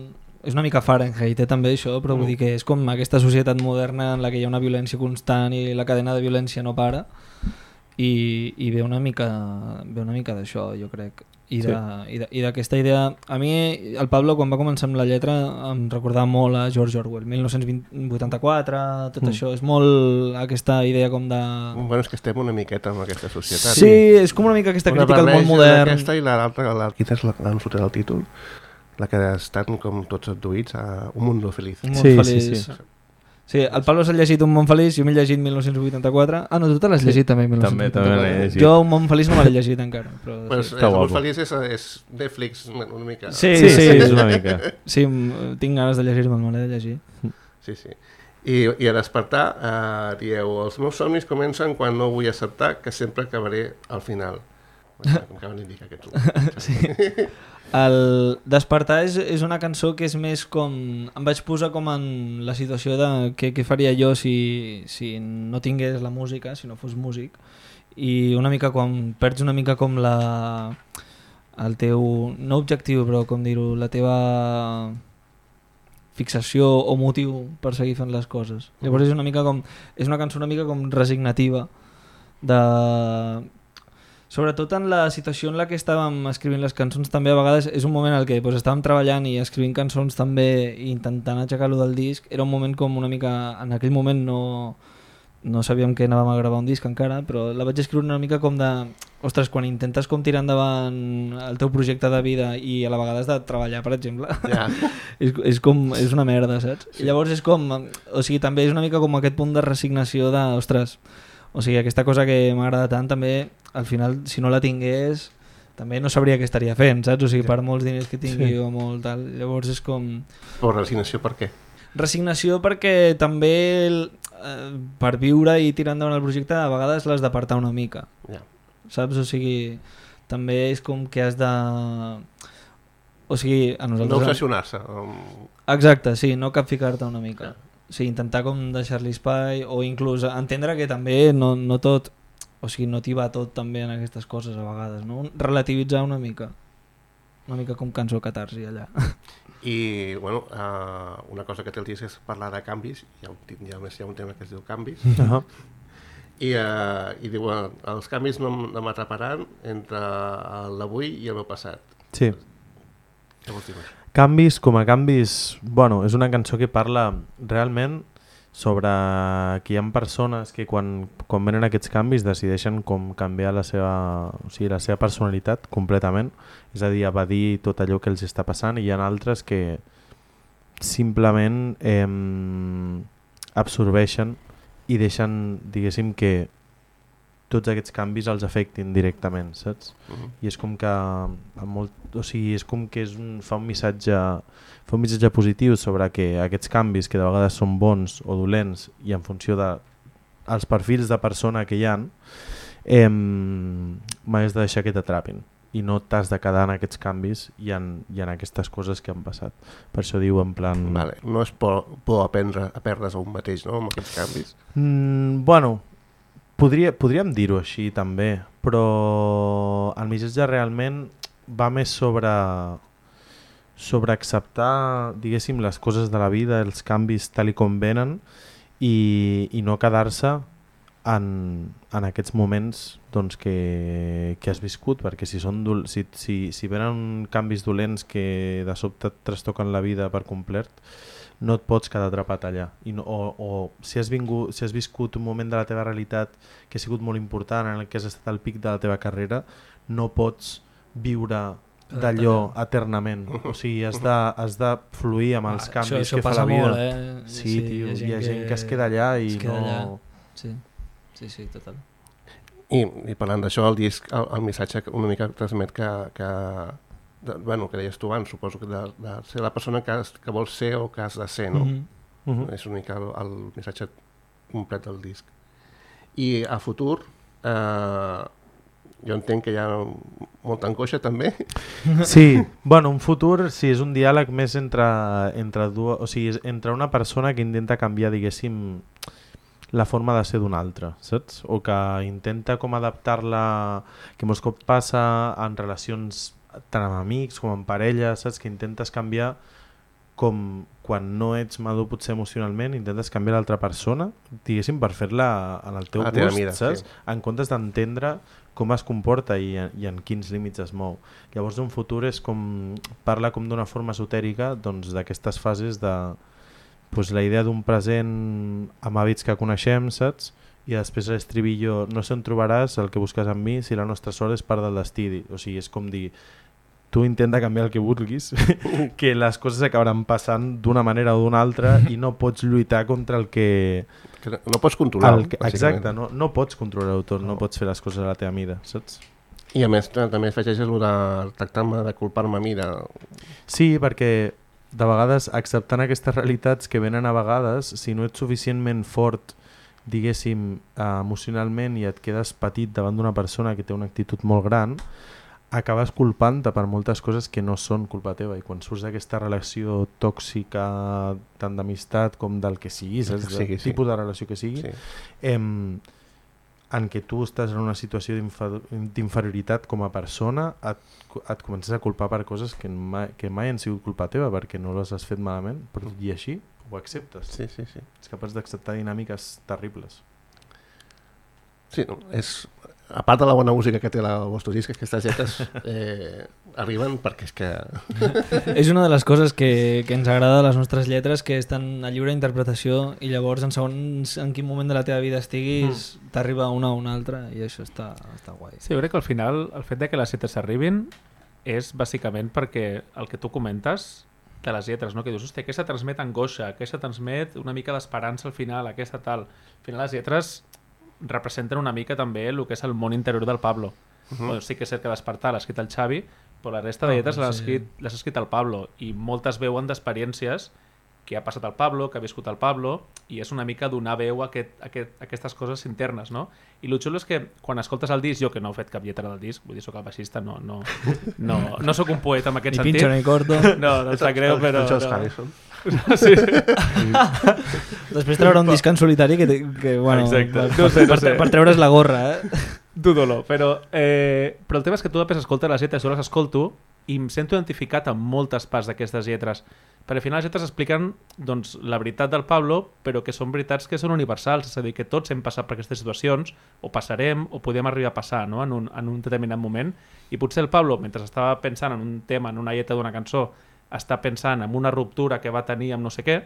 Speaker 5: És una mica Fahrenheit, eh, també això, però uh-huh. vull dir que és com aquesta societat moderna en la que hi ha una violència constant i la cadena de violència no para i, i ve una mica, ve una mica d'això, jo crec. I d'aquesta sí. idea, a mi el Pablo quan va començar amb la lletra em recordava molt a George Orwell, mil nou-cents vuitanta-quatre, tot mm. això, és molt aquesta idea com de...
Speaker 2: Bueno, és que estem una miqueta en aquesta societat.
Speaker 5: Sí, és com una mica aquesta una crítica al món modern.
Speaker 2: Aquesta i l'altra, la, quina és la que han sortit el títol? La que estan com tots adduïts a Un mundo feliz.
Speaker 5: Un món
Speaker 3: sí,
Speaker 5: feliç.
Speaker 3: Sí, sí.
Speaker 5: Sí, el Pablo s'ha llegit Un món feliç, jo m'he llegit mil nou-cents vuitanta-quatre. Ah, no, tu te l'has llegit sí, també mil nou-cents vuitanta-quatre.
Speaker 3: També, també l'he llegit.
Speaker 5: Jo Un món feliç no me l'he llegit encara. Però,
Speaker 2: bueno,
Speaker 5: sí.
Speaker 2: és, Un món feliç és, és Netflix una mica.
Speaker 5: Sí,
Speaker 3: sí,
Speaker 5: sí,
Speaker 3: sí, és una mica.
Speaker 5: Sí, tinc ganes de llegir-me'l, me l'he de llegir.
Speaker 2: Sí, sí. I, i a despertar, eh, dieu, els meus somnis comencen quan no vull acceptar que sempre acabaré al final. Com que m'indica aquest últim.
Speaker 5: Sí. El Despertar és, és una cançó que és més com... Em vaig posar com en la situació de què, què faria jo si, si no tingués la música, si no fos músic, i una mica quan perds una mica com la... el teu... no objectiu, però com dir-ho, la teva fixació o motiu per seguir fent les coses. Llavors és una mica com... és una cançó una mica com resignativa de... Sobretot en la situació en la que estàvem escrivint les cançons, també a vegades és un moment en què doncs, estàvem treballant i escrivint cançons també i intentant aixecar-lo del disc. Era un moment com una mica... En aquell moment no, no sabíem que anàvem a gravar un disc encara, però la vaig escriure una mica com de... Ostres, quan intentes com tirar endavant el teu projecte de vida i a la vegada has de treballar, per exemple,
Speaker 2: Ja.
Speaker 5: és, és com... és una merda, saps? Sí. I llavors és com... O sigui, també és una mica com aquest punt de resignació de... Ostres, o sigui, aquesta cosa que m'agrada tant també, al final, si no la tingués, també no sabria què estaria fent, saps? O sigui, per molts diners que tingui sí. o molt tal. Llavors és com...
Speaker 2: Però resignació per què?
Speaker 5: Resignació perquè també eh, per viure i tirar endavant el projecte a vegades l'has d'apartar una mica.
Speaker 2: Ja.
Speaker 5: Saps? O sigui, també és com que has de... O sigui, a nosaltres...
Speaker 2: No obsessionar-se. Um...
Speaker 5: Exacte, sí, no capficar-te una mica. Ja. O sigui, intentar com deixar-li espai o inclús entendre que també no, no tot, o sigui, no t'hi va tot també en aquestes coses a vegades, no? Relativitzar una mica, una mica com cançó catarsi allà.
Speaker 2: I, bueno, uh, una cosa que té el disc és parlar de canvis, hi ha un, hi ha, hi ha un tema que es diu canvis,
Speaker 3: Uh-huh.
Speaker 2: i, uh, i diu, uh, els canvis no, no m'atraparan entre l'avui i el meu passat.
Speaker 3: Sí.
Speaker 2: Què vols dir?
Speaker 3: Canvis, com a canvis, bueno, és una cançó que parla realment sobre que hi ha persones que quan, quan venen aquests canvis decideixen com canviar la seva, o sigui, la seva personalitat completament, és a dir, evadir tot allò que els està passant, i hi ha altres que simplement eh, absorbeixen i deixen, diguéssim, que tots aquests canvis els afectin directament, saps? Uh-huh. I és com que molt, o sigui, és com que és un, fa un missatge fa un missatge positiu sobre que aquests canvis, que de vegades són bons o dolents i en funció de els perfils de persona que hi ha, eh, mai has de deixar que t'atrapin i no t'has de quedar en aquests canvis i en, i en aquestes coses que han passat. Per això diu en plan...
Speaker 2: Vale. No és por, por aprendre a perdre's a un mateix, no?, amb aquests canvis?
Speaker 3: Mm, bueno... Podria, podríem dir-ho així també, però el missatge realment va més sobre, sobre acceptar, diguéssim, les coses de la vida, els canvis tal i com venen, i, i no quedar-se en, en aquests moments doncs, que, que has viscut, perquè si, són dol si, si, si venen canvis dolents que de sobte et trastoquen la vida per complet, no et pots quedar atrapat allà. I no, o o si, has vingut, si has viscut un moment de la teva realitat que ha sigut molt important, en el que has estat al pic de la teva carrera, no pots viure d'allò eternament. O sigui, has de, has de fluir amb els canvis
Speaker 5: això, això
Speaker 3: que fa la vida.
Speaker 5: Molt, eh?
Speaker 3: Sí,
Speaker 5: sí,
Speaker 3: tio,
Speaker 5: hi ha gent,
Speaker 3: hi ha gent
Speaker 5: que,
Speaker 3: que es queda allà i
Speaker 5: es queda
Speaker 3: no...
Speaker 5: allà. Sí, sí, sí, total.
Speaker 2: I, i parlant d'això, el disc, el, el missatge una mica transmet que, que de, bueno, que deies tu abans, suposo que de, de ser la persona que, has, que vols ser o que has de ser, no?
Speaker 5: Mm-hmm.
Speaker 3: Uh-huh.
Speaker 2: És una mica el, el missatge complet del disc. I a futur, eh, jo entenc que hi ha molta angoixa també.
Speaker 3: Sí, bueno, un futur sí, és un diàleg més entre, entre, dues, o sigui, entre una persona que intenta canviar, diguéssim, la forma de ser d'una altra, saps? O que intenta com adaptar-la, que molts cops passa en relacions tant amb amics com amb parella, saps? Que intentes canviar com quan no ets madur potser emocionalment, intentes canviar l'altra persona, diguéssim, per fer-la en el teu gust,
Speaker 2: mida,
Speaker 3: saps?
Speaker 2: Sí.
Speaker 3: En comptes d'entendre com es comporta i, i en quins límits es mou. Llavors un futur és com, parla com d'una forma esotèrica doncs, d'aquestes fases de pues, la idea d'un present amb hàbits que coneixem, saps? I després l'estribillo, no sé on trobaràs el que busques en mi si la nostra sort és part del destí. O sigui, és com dir, tu intenta canviar el que vulguis, que les coses acabaran passant d'una manera o d'una altra i no pots lluitar contra el que...
Speaker 2: que no, no pots controlar.
Speaker 3: El que, exacte, no, no pots controlar-ho tot, no. no pots fer les coses a la teva mida, saps?
Speaker 2: I a més també afegeixes el de tractar-me de culpar-me a mi. De...
Speaker 3: Sí, perquè de vegades acceptant aquestes realitats que venen a vegades, si no ets suficientment fort diguéssim, emocionalment i et quedes petit davant d'una persona que té una actitud molt gran, acabes culpant-te per moltes coses que no són culpa teva, i quan surts d'aquesta relació tòxica tant d'amistat com del que sigui, saps?
Speaker 2: Sí,
Speaker 3: Del
Speaker 2: sí.
Speaker 3: tipus de relació que sigui,
Speaker 2: Sí.
Speaker 3: em, en què tu estàs en una situació d'infa- d'inferioritat com a persona, et, et comences a culpar per coses que mai, que mai han sigut culpa teva perquè no les has fet malament, però i així ho acceptes.
Speaker 2: Sí, sí, sí.
Speaker 3: Ets capaç d'acceptar dinàmiques terribles.
Speaker 2: Sí, no, és... A part de la bona música que té la, el vostre disc, aquestes lletres eh, arriben perquè és que...
Speaker 5: És una de les coses que, que ens agrada de les nostres lletres, que estan a lliure interpretació i llavors en segons en quin moment de la teva vida estiguis mm. t'arriba una o una altra i això està, està guai.
Speaker 4: Sí, jo crec que al final el fet de que les lletres arribin és bàsicament perquè el que tu comentes de les lletres, no? Que dius, hòstia, aquesta transmet angoixa, aquesta transmet una mica d'esperança al final, aquesta tal. Al final les lletres representen una mica també el que és el món interior del Pablo. Uh -huh. Bueno, sí que és cert que Despertar l'ha escrit el Xavi, però la resta de lletres l'ha escrit, l'ha escrit el Pablo, i moltes veuen d'experiències que ha passat el Pablo, que ha viscut el Pablo, i és una mica donar veu a, aquest, a, aquest, a aquestes coses internes, no? I el xulo és que quan escoltes el disc, jo que no he fet cap lletra del disc, vull dir, soc el baixista, no, no, no, no sóc un poeta en aquest
Speaker 5: ni
Speaker 4: sentit.
Speaker 5: Ni pincho ni corto.
Speaker 4: No, no em sap greu, però...
Speaker 2: El George
Speaker 4: no.
Speaker 2: Harrison.
Speaker 4: Sí.
Speaker 5: Després treure un disc en solitari que, que bueno,
Speaker 4: exacte.
Speaker 5: per,
Speaker 4: No sé, no
Speaker 5: per,
Speaker 4: sé.
Speaker 5: per treure's la gorra, eh?
Speaker 4: Dudo-lo, però, eh, però el tema és que tu després escoltes les lletres, jo les escolto i em sento identificat amb moltes parts d'aquestes lletres, perquè al final les lletres expliquen doncs, la veritat del Pablo, però que són veritats que són universals, és a dir, que tots hem passat per aquestes situacions, o passarem, o podem arribar a passar, no? en, un, en un determinat moment, i potser el Pablo, mentre estava pensant en un tema, en una lletra d'una cançó, està pensant en una ruptura que va tenir amb no sé què,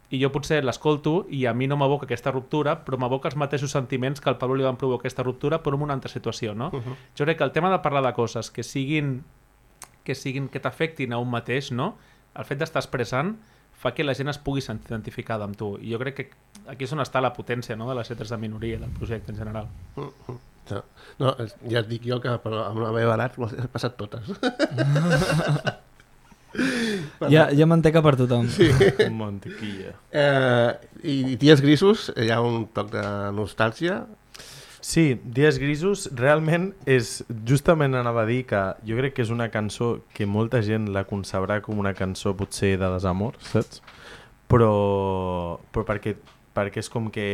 Speaker 4: i jo potser l'escolto i a mi no m'aboca aquesta ruptura, però m'aboca els mateixos sentiments que al Pablo li van provocar aquesta ruptura, però en una altra situació, no? Uh -huh. Jo crec que el tema de parlar de coses que siguin que siguin que t'afectin a un mateix, no? El fet d'estar expressant fa que la gent es pugui sentir identificada amb tu, i jo crec que aquí és on està la potència, no?, de les lletres de minoria, del projecte en general.
Speaker 2: Uh -huh. No, no, ja et dic jo que però amb la meva edat les he passat totes.
Speaker 5: Hi ha, hi ha manteca per tothom.
Speaker 2: Sí.
Speaker 3: Mantequilla.
Speaker 2: Eh, I Dies Grisos, hi ha un toc de nostàlgia.
Speaker 3: Sí, Dies Grisos realment és, justament anava a dir que jo crec que és una cançó que molta gent la concebrà com una cançó potser de desamor, saps? Però, però perquè, perquè és com que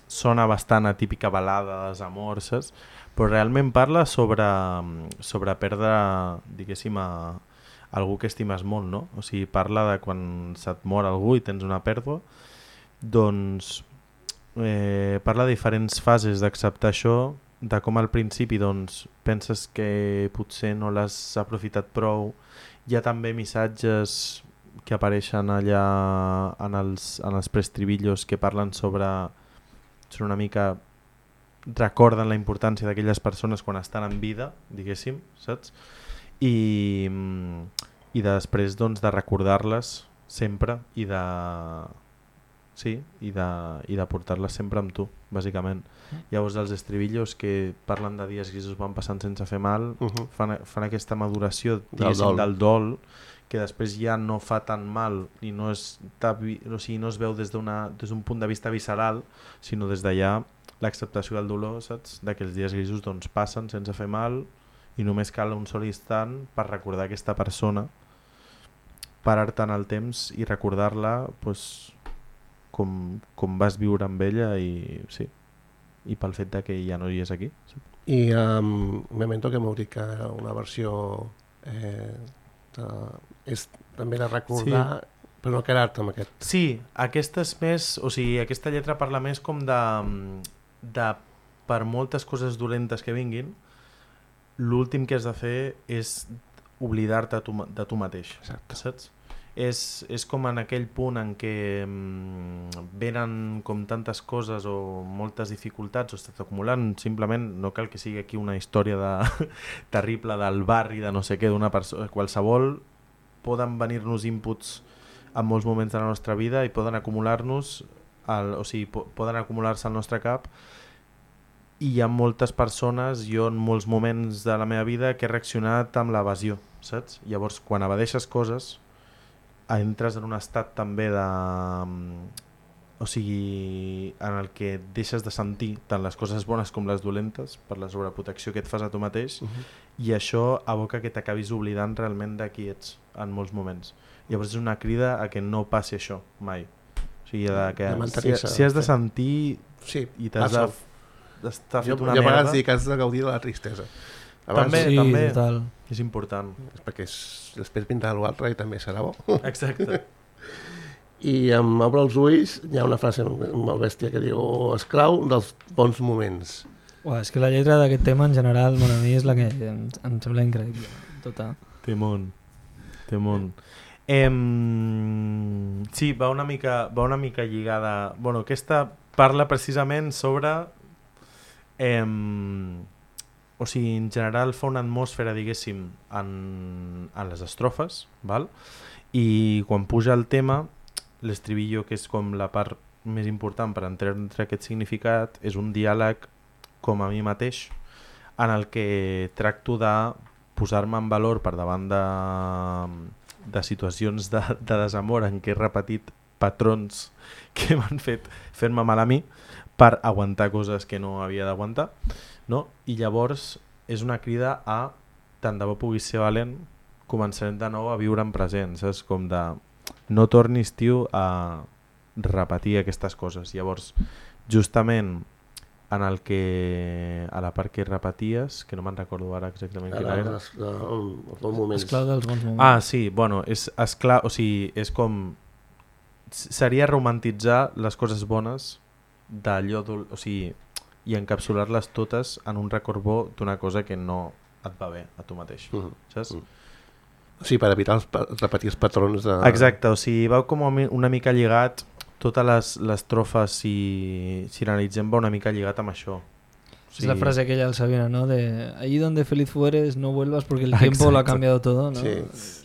Speaker 3: sona bastant a típica balada de desamor, saps? Però realment parla sobre, sobre perdre, diguéssim, a algú que estimes molt, no? O sigui, parla de quan se't mor algú i tens una pèrdua, doncs eh, parla de diferents fases d'acceptar això, de com al principi doncs, penses que potser no l'has aprofitat prou. Hi ha també missatges que apareixen allà en els, en els preestribillos que parlen sobre, sobre una mica, recorden la importància d'aquelles persones quan estan en vida, diguéssim, saps? I, i després doncs, de recordar-les sempre i de, sí, i de, i de portar-les sempre amb tu, bàsicament. Llavors els estribillos que parlen de dies grisos van passant sense fer mal,
Speaker 2: Uh -huh.
Speaker 3: fan, fan aquesta maduració
Speaker 2: Del dol.
Speaker 3: del dol, que després ja no fa tan mal i no es, o sigui, no es veu des d'una, des d'un punt de vista visceral, sinó des d'allà l'acceptació del dolor, saps? De que els dies grisos doncs, passen sense fer mal i només cal un sol instant per recordar aquesta persona, parar-te en el temps i recordar-la pues, com, com vas viure amb ella i, sí, i pel fet de que ja no hi és aquí. Sí.
Speaker 2: I um, Memento, que m'heu dit que una versió eh, de, és també de recordar, sí. Però no quedar-te amb aquest.
Speaker 3: Sí, aquesta és més, o sigui, aquesta lletra parla més com de, de per moltes coses dolentes que vinguin, l'últim que has de fer és oblidar-te tu, de tu mateix.
Speaker 2: Exacte.
Speaker 3: Saps? És, és com en aquell punt en què mm, venen com tantes coses o moltes dificultats o estàs acumulant, simplement no cal que sigui aquí una història de, terrible del barri, de no sé què, d'una persona, qualsevol, poden venir-nos inputs en molts moments de la nostra vida i poden acumular-nos, el, o sigui, po poden acumular-se al nostre cap, i hi ha moltes persones, jo en molts moments de la meva vida, que he reaccionat amb l'evasió, saps? Llavors, quan evadeixes coses, entres en un estat també de, o sigui, en el que deixes de sentir tant les coses bones com les dolentes per la sobreprotecció que et fas a tu mateix, uh-huh. i això aboca que t'acabis oblidant realment de qui ets en molts moments. Llavors és una crida a que no passi això mai. O sigui, de que si, si has de sentir
Speaker 2: sí,
Speaker 3: i t'has de, d'estar fet una
Speaker 2: merda... Jo a vegades
Speaker 3: merda...
Speaker 2: dic que has de gaudir de la tristesa.
Speaker 3: Abans, també,
Speaker 5: sí,
Speaker 3: també.
Speaker 5: Total.
Speaker 3: És important.
Speaker 2: Perquè és, després vindrà l'altre i també serà bo.
Speaker 3: Exacte.
Speaker 2: I em obre els ulls, hi ha una frase molt bèstia que diu esclau dels bons moments.
Speaker 5: Uah, és que la lletra d'aquest tema en general, bueno, a mi és la que em, em sembla increïble. Total.
Speaker 3: Temón. Temón. Em... Sí, va una mica, va una mica lligada... Bueno, aquesta parla precisament sobre... Em... O sigui, en general fa una atmosfera, diguéssim, en, en les estrofes, val? I quan puja el tema, l'estribillo, que és com la part més important per entendre aquest significat, és un diàleg com a mi mateix, en el que tracto de posar-me en valor per davant de, de situacions de, de desamor en què he repetit patrons que m'han fet fer-me mal a mi per aguantar coses que no havia d'aguantar, no? I llavors és una crida a tant de bo puguis ser valent, començarem de nou a viure en present, saps? Com de no tornis, tio, a repetir aquestes coses. Llavors, justament en el que a la part que repeties, que no me'n recordo ara exactament quina era.
Speaker 2: Els bons moments.
Speaker 5: Esclau dels bons moments.
Speaker 3: Ah, sí, bueno, és esclar, o sigui, és com seria romantitzar les coses bones d'allò, o sigui, i encapsular-les totes en un record bo d'una cosa que no et va bé a tu mateix, uh -huh. saps? Uh -huh.
Speaker 2: O sigui, per evitar els, repetir els patrons de...
Speaker 3: Exacte, o sigui, va com una mica lligat, totes les, les trofes, si, si analitzem, va una mica lligat amb això. O sigui...
Speaker 5: Es la frase aquella del Sabina, ¿no? De allí donde feliz fueres, no vuelvas porque el tiempo exacte. Lo ha cambiado todo, ¿no?
Speaker 2: Sí,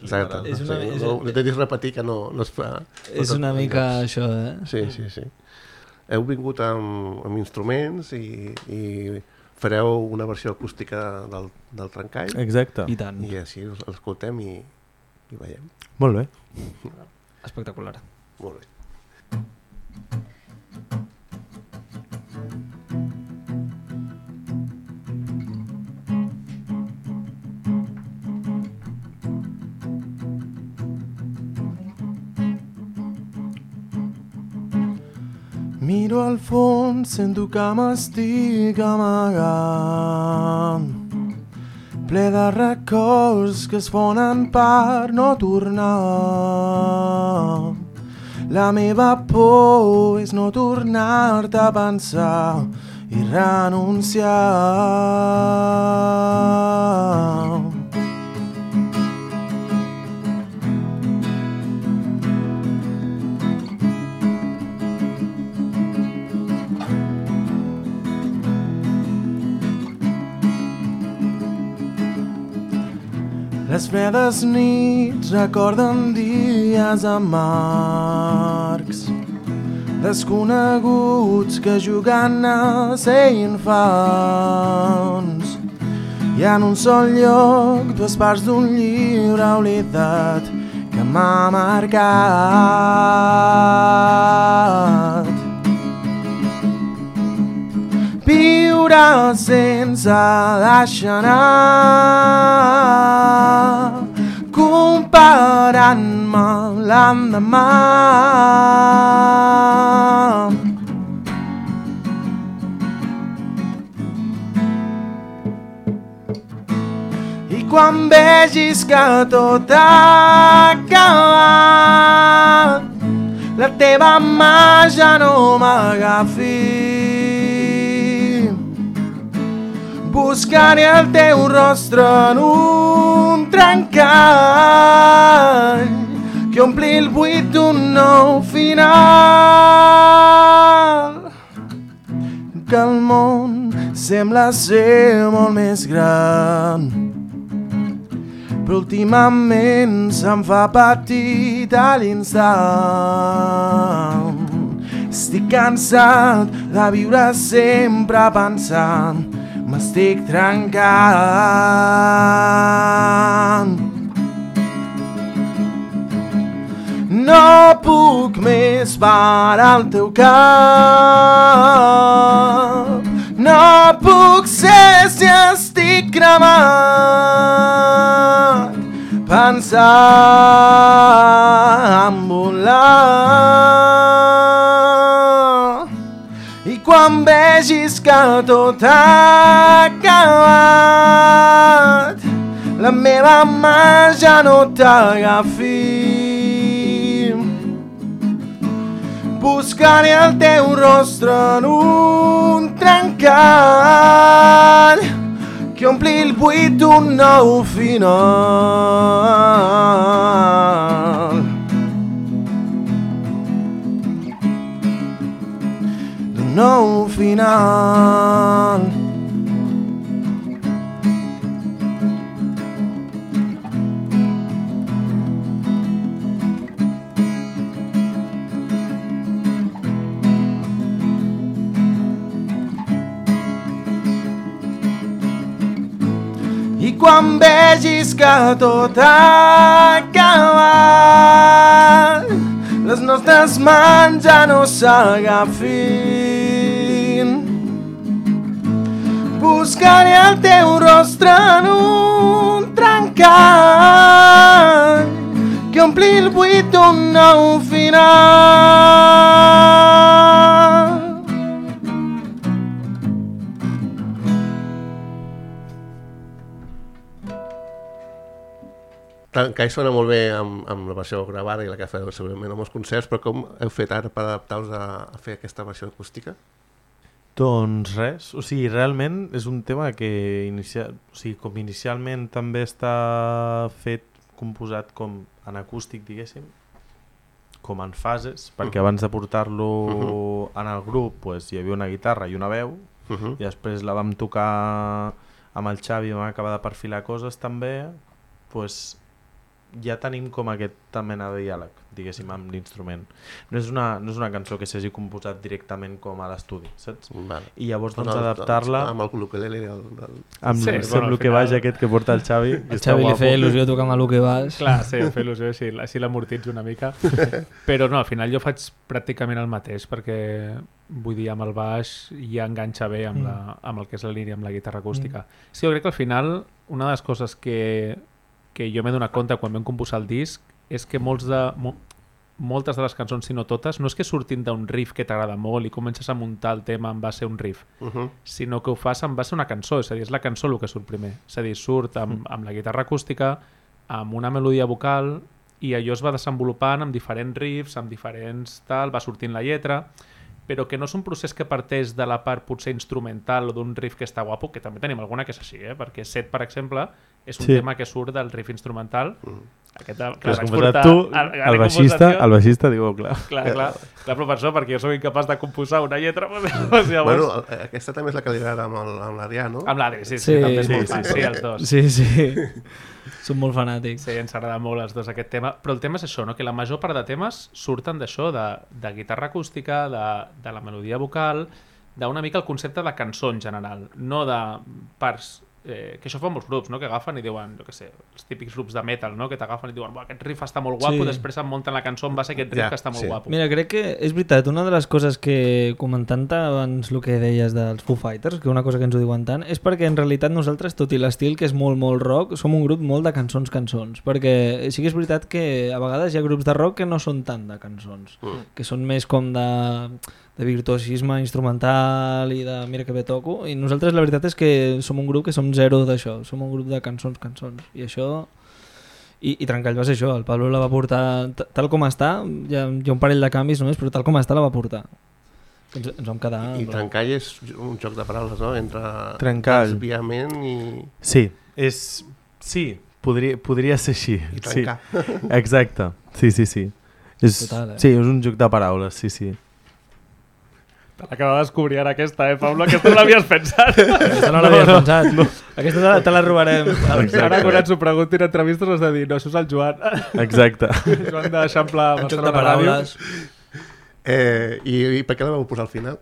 Speaker 2: exacte. És una, sí, és, no, no intentis repetir que no, no es fa...
Speaker 5: És no una mica això, eh?
Speaker 2: Sí, sí, sí. Heu vingut amb, amb instruments i, i fareu una versió acústica del, del Trencall.
Speaker 3: Exacte.
Speaker 5: I tant.
Speaker 2: I així l'escoltem i, i veiem.
Speaker 3: Molt bé.
Speaker 5: Espectacular.
Speaker 2: Molt bé.
Speaker 3: Miro al fons, sento que m'estic amagant, ple de records que es fonen per no tornar. La meva por és no tornar-te a pensar i renunciar. Les fredes nits recorden dies amargs, desconeguts que jugant a ser infants, i en un sol lloc dues parts d'un llibre oblidat que m'ha marcat. Viure sense deixar anar, comparant-me l'endemà. I quan vegis que tot ha acabat, la teva mà ja no m'agafi. Buscaré el teu rostre en un trencall que ompli el buit d'un nou final. Que el món sembla ser molt més gran, però últimament se'm fa petit a l'instant. Estic cansat de viure sempre pensant m'estic trencant. No puc puc més per al teu cap. No puc ser si estic cremat, pensar en volar. I quan vegis que tot ha acabat, la meva mà ja no t'agafi. Buscaré el teu rostre en un trencat que ompli el buit d'un nou final. D'un nou final. I quan vegis que tot ha acabat, les nostres mans ja no s'agafin. Buscaré el teu rostre en un trencat que ompli el buit d'un nou final.
Speaker 2: Trencall sona molt bé amb, amb la versió gravada i la que feu segurament en molts concerts, però com heu fet ara per adaptar-vos a, a fer aquesta versió acústica?
Speaker 3: Doncs res, o sigui, realment és un tema que inicia... o sigui, com inicialment també està fet, composat com en acústic, diguéssim, com en fases, perquè abans de portar-lo uh-huh. en el grup pues, hi havia una guitarra i una veu, uh-huh. i després la vam tocar amb el Xavi i vam acabar de perfilar coses també, pues, ja tenim com aquesta mena de diàleg, diguéssim, amb l'instrument. No és una, no és una cançó que s'hagi composat directament com a l'estudi, saps?
Speaker 2: Vale.
Speaker 3: I llavors doncs, adaptar-la...
Speaker 2: Amb el ukulele del... del...
Speaker 3: Amb sí, el bueno, que baix aquest que porta el Xavi.
Speaker 5: El Xavi li feia il·lusió tocar amb el que baix.
Speaker 4: Clar, sí, em feia il·lusió, així, així l'amortitzo una mica. Però no, al final jo faig pràcticament el mateix, perquè vull dir, amb el baix ja enganxa bé amb, la, amb el que és la línia, amb la guitarra acústica. Mm. Sí, jo crec que al final una de les coses que... que jo m'he donat compte quan vam composar el disc és que molts de, mo, moltes de les cançons, si no totes, no és que surtin d'un riff que t'agrada molt i comences a muntar el tema en base a un riff, uh-huh. sinó que ho fas en base a una cançó, és a dir, és la cançó el que surt primer, és a dir, surt amb, amb la guitarra acústica, amb una melodia vocal i allò es va desenvolupant amb diferents riffs, amb diferents tal, va sortint la lletra, però que no és un procés que parteix de la part potser instrumental o d'un riff que està guapo, que també tenim alguna que és així, eh? Perquè Set, per exemple, és un sí. tema que surt del riff instrumental. Mm. Aquest, clar,
Speaker 3: que has composat tu, el, el, baixista, el baixista diu, clar.
Speaker 4: Clar, clar, clar, però per això, perquè jo soc incapaç de composar una lletra. Pues, llavors...
Speaker 2: Bueno, aquesta també és la que li agrada amb l'Adrià, no?
Speaker 4: Amb l'Adri, sí, sí,
Speaker 5: sí,
Speaker 4: també és
Speaker 5: sí,
Speaker 4: molt
Speaker 5: sí,
Speaker 4: fan,
Speaker 5: sí,
Speaker 4: sí, els dos.
Speaker 5: Sí, sí, són molt fanàtics.
Speaker 4: Sí, ens agrada molt els dos aquest tema, però el tema és això, no? Que la major part de temes surten d'això, de, de guitarra acústica, de, de la melodia vocal, d'una mica el concepte de cançó en general, no de parts... Eh, que això fa molts grups, no? Que agafen i diuen, jo què sé, els típics grups de metal, no? Que t'agafen i diuen, aquest riff està molt guapo, sí. després em munten la cançó en base a aquest riff ja, que està molt sí. guapo.
Speaker 5: Mira, crec que és veritat, una de les coses que comentant abans el que deies dels Foo Fighters, que una cosa que ens ho diuen tant, és perquè en realitat nosaltres, tot i l'estil que és molt, molt rock, som un grup molt de cançons, cançons, perquè sí que és veritat que a vegades hi ha grups de rock que no són tant de cançons, mm. que són més com de... de virtuosisme instrumental i de mira que bé toco, i nosaltres la veritat és que som un grup que som zero d'això, som un grup de cançons, cançons, i això i, i Trencall va ser això, el Pablo la va portar tal com està, hi ha, hi ha un parell de canvis només, però tal com està la va portar. Ens, ens vam quedar...
Speaker 2: I, i Trencall és un joc de paraules, no? Entre
Speaker 3: Trencall.
Speaker 2: Desviament i...
Speaker 3: Sí, és... Sí, podria, podria ser així.
Speaker 2: I trencar.
Speaker 3: Sí. Exacte, sí, sí, sí. És, Total, eh? Sí, és un joc de paraules, sí, sí.
Speaker 4: Acaba de descobrir ara aquesta, eh, Pablo? Aquesta no l'havies pensat.
Speaker 5: Aquesta no l'havies no, pensat. No. Aquesta te la, te la robarem.
Speaker 4: Exacte. Ara quan ens ho preguntin en entrevistes has de dir, no, això és el Joan.
Speaker 3: Exacte.
Speaker 4: Joan d'Eixample Barcelona Ràdio.
Speaker 2: Eh, i, I per què la vau posar al final?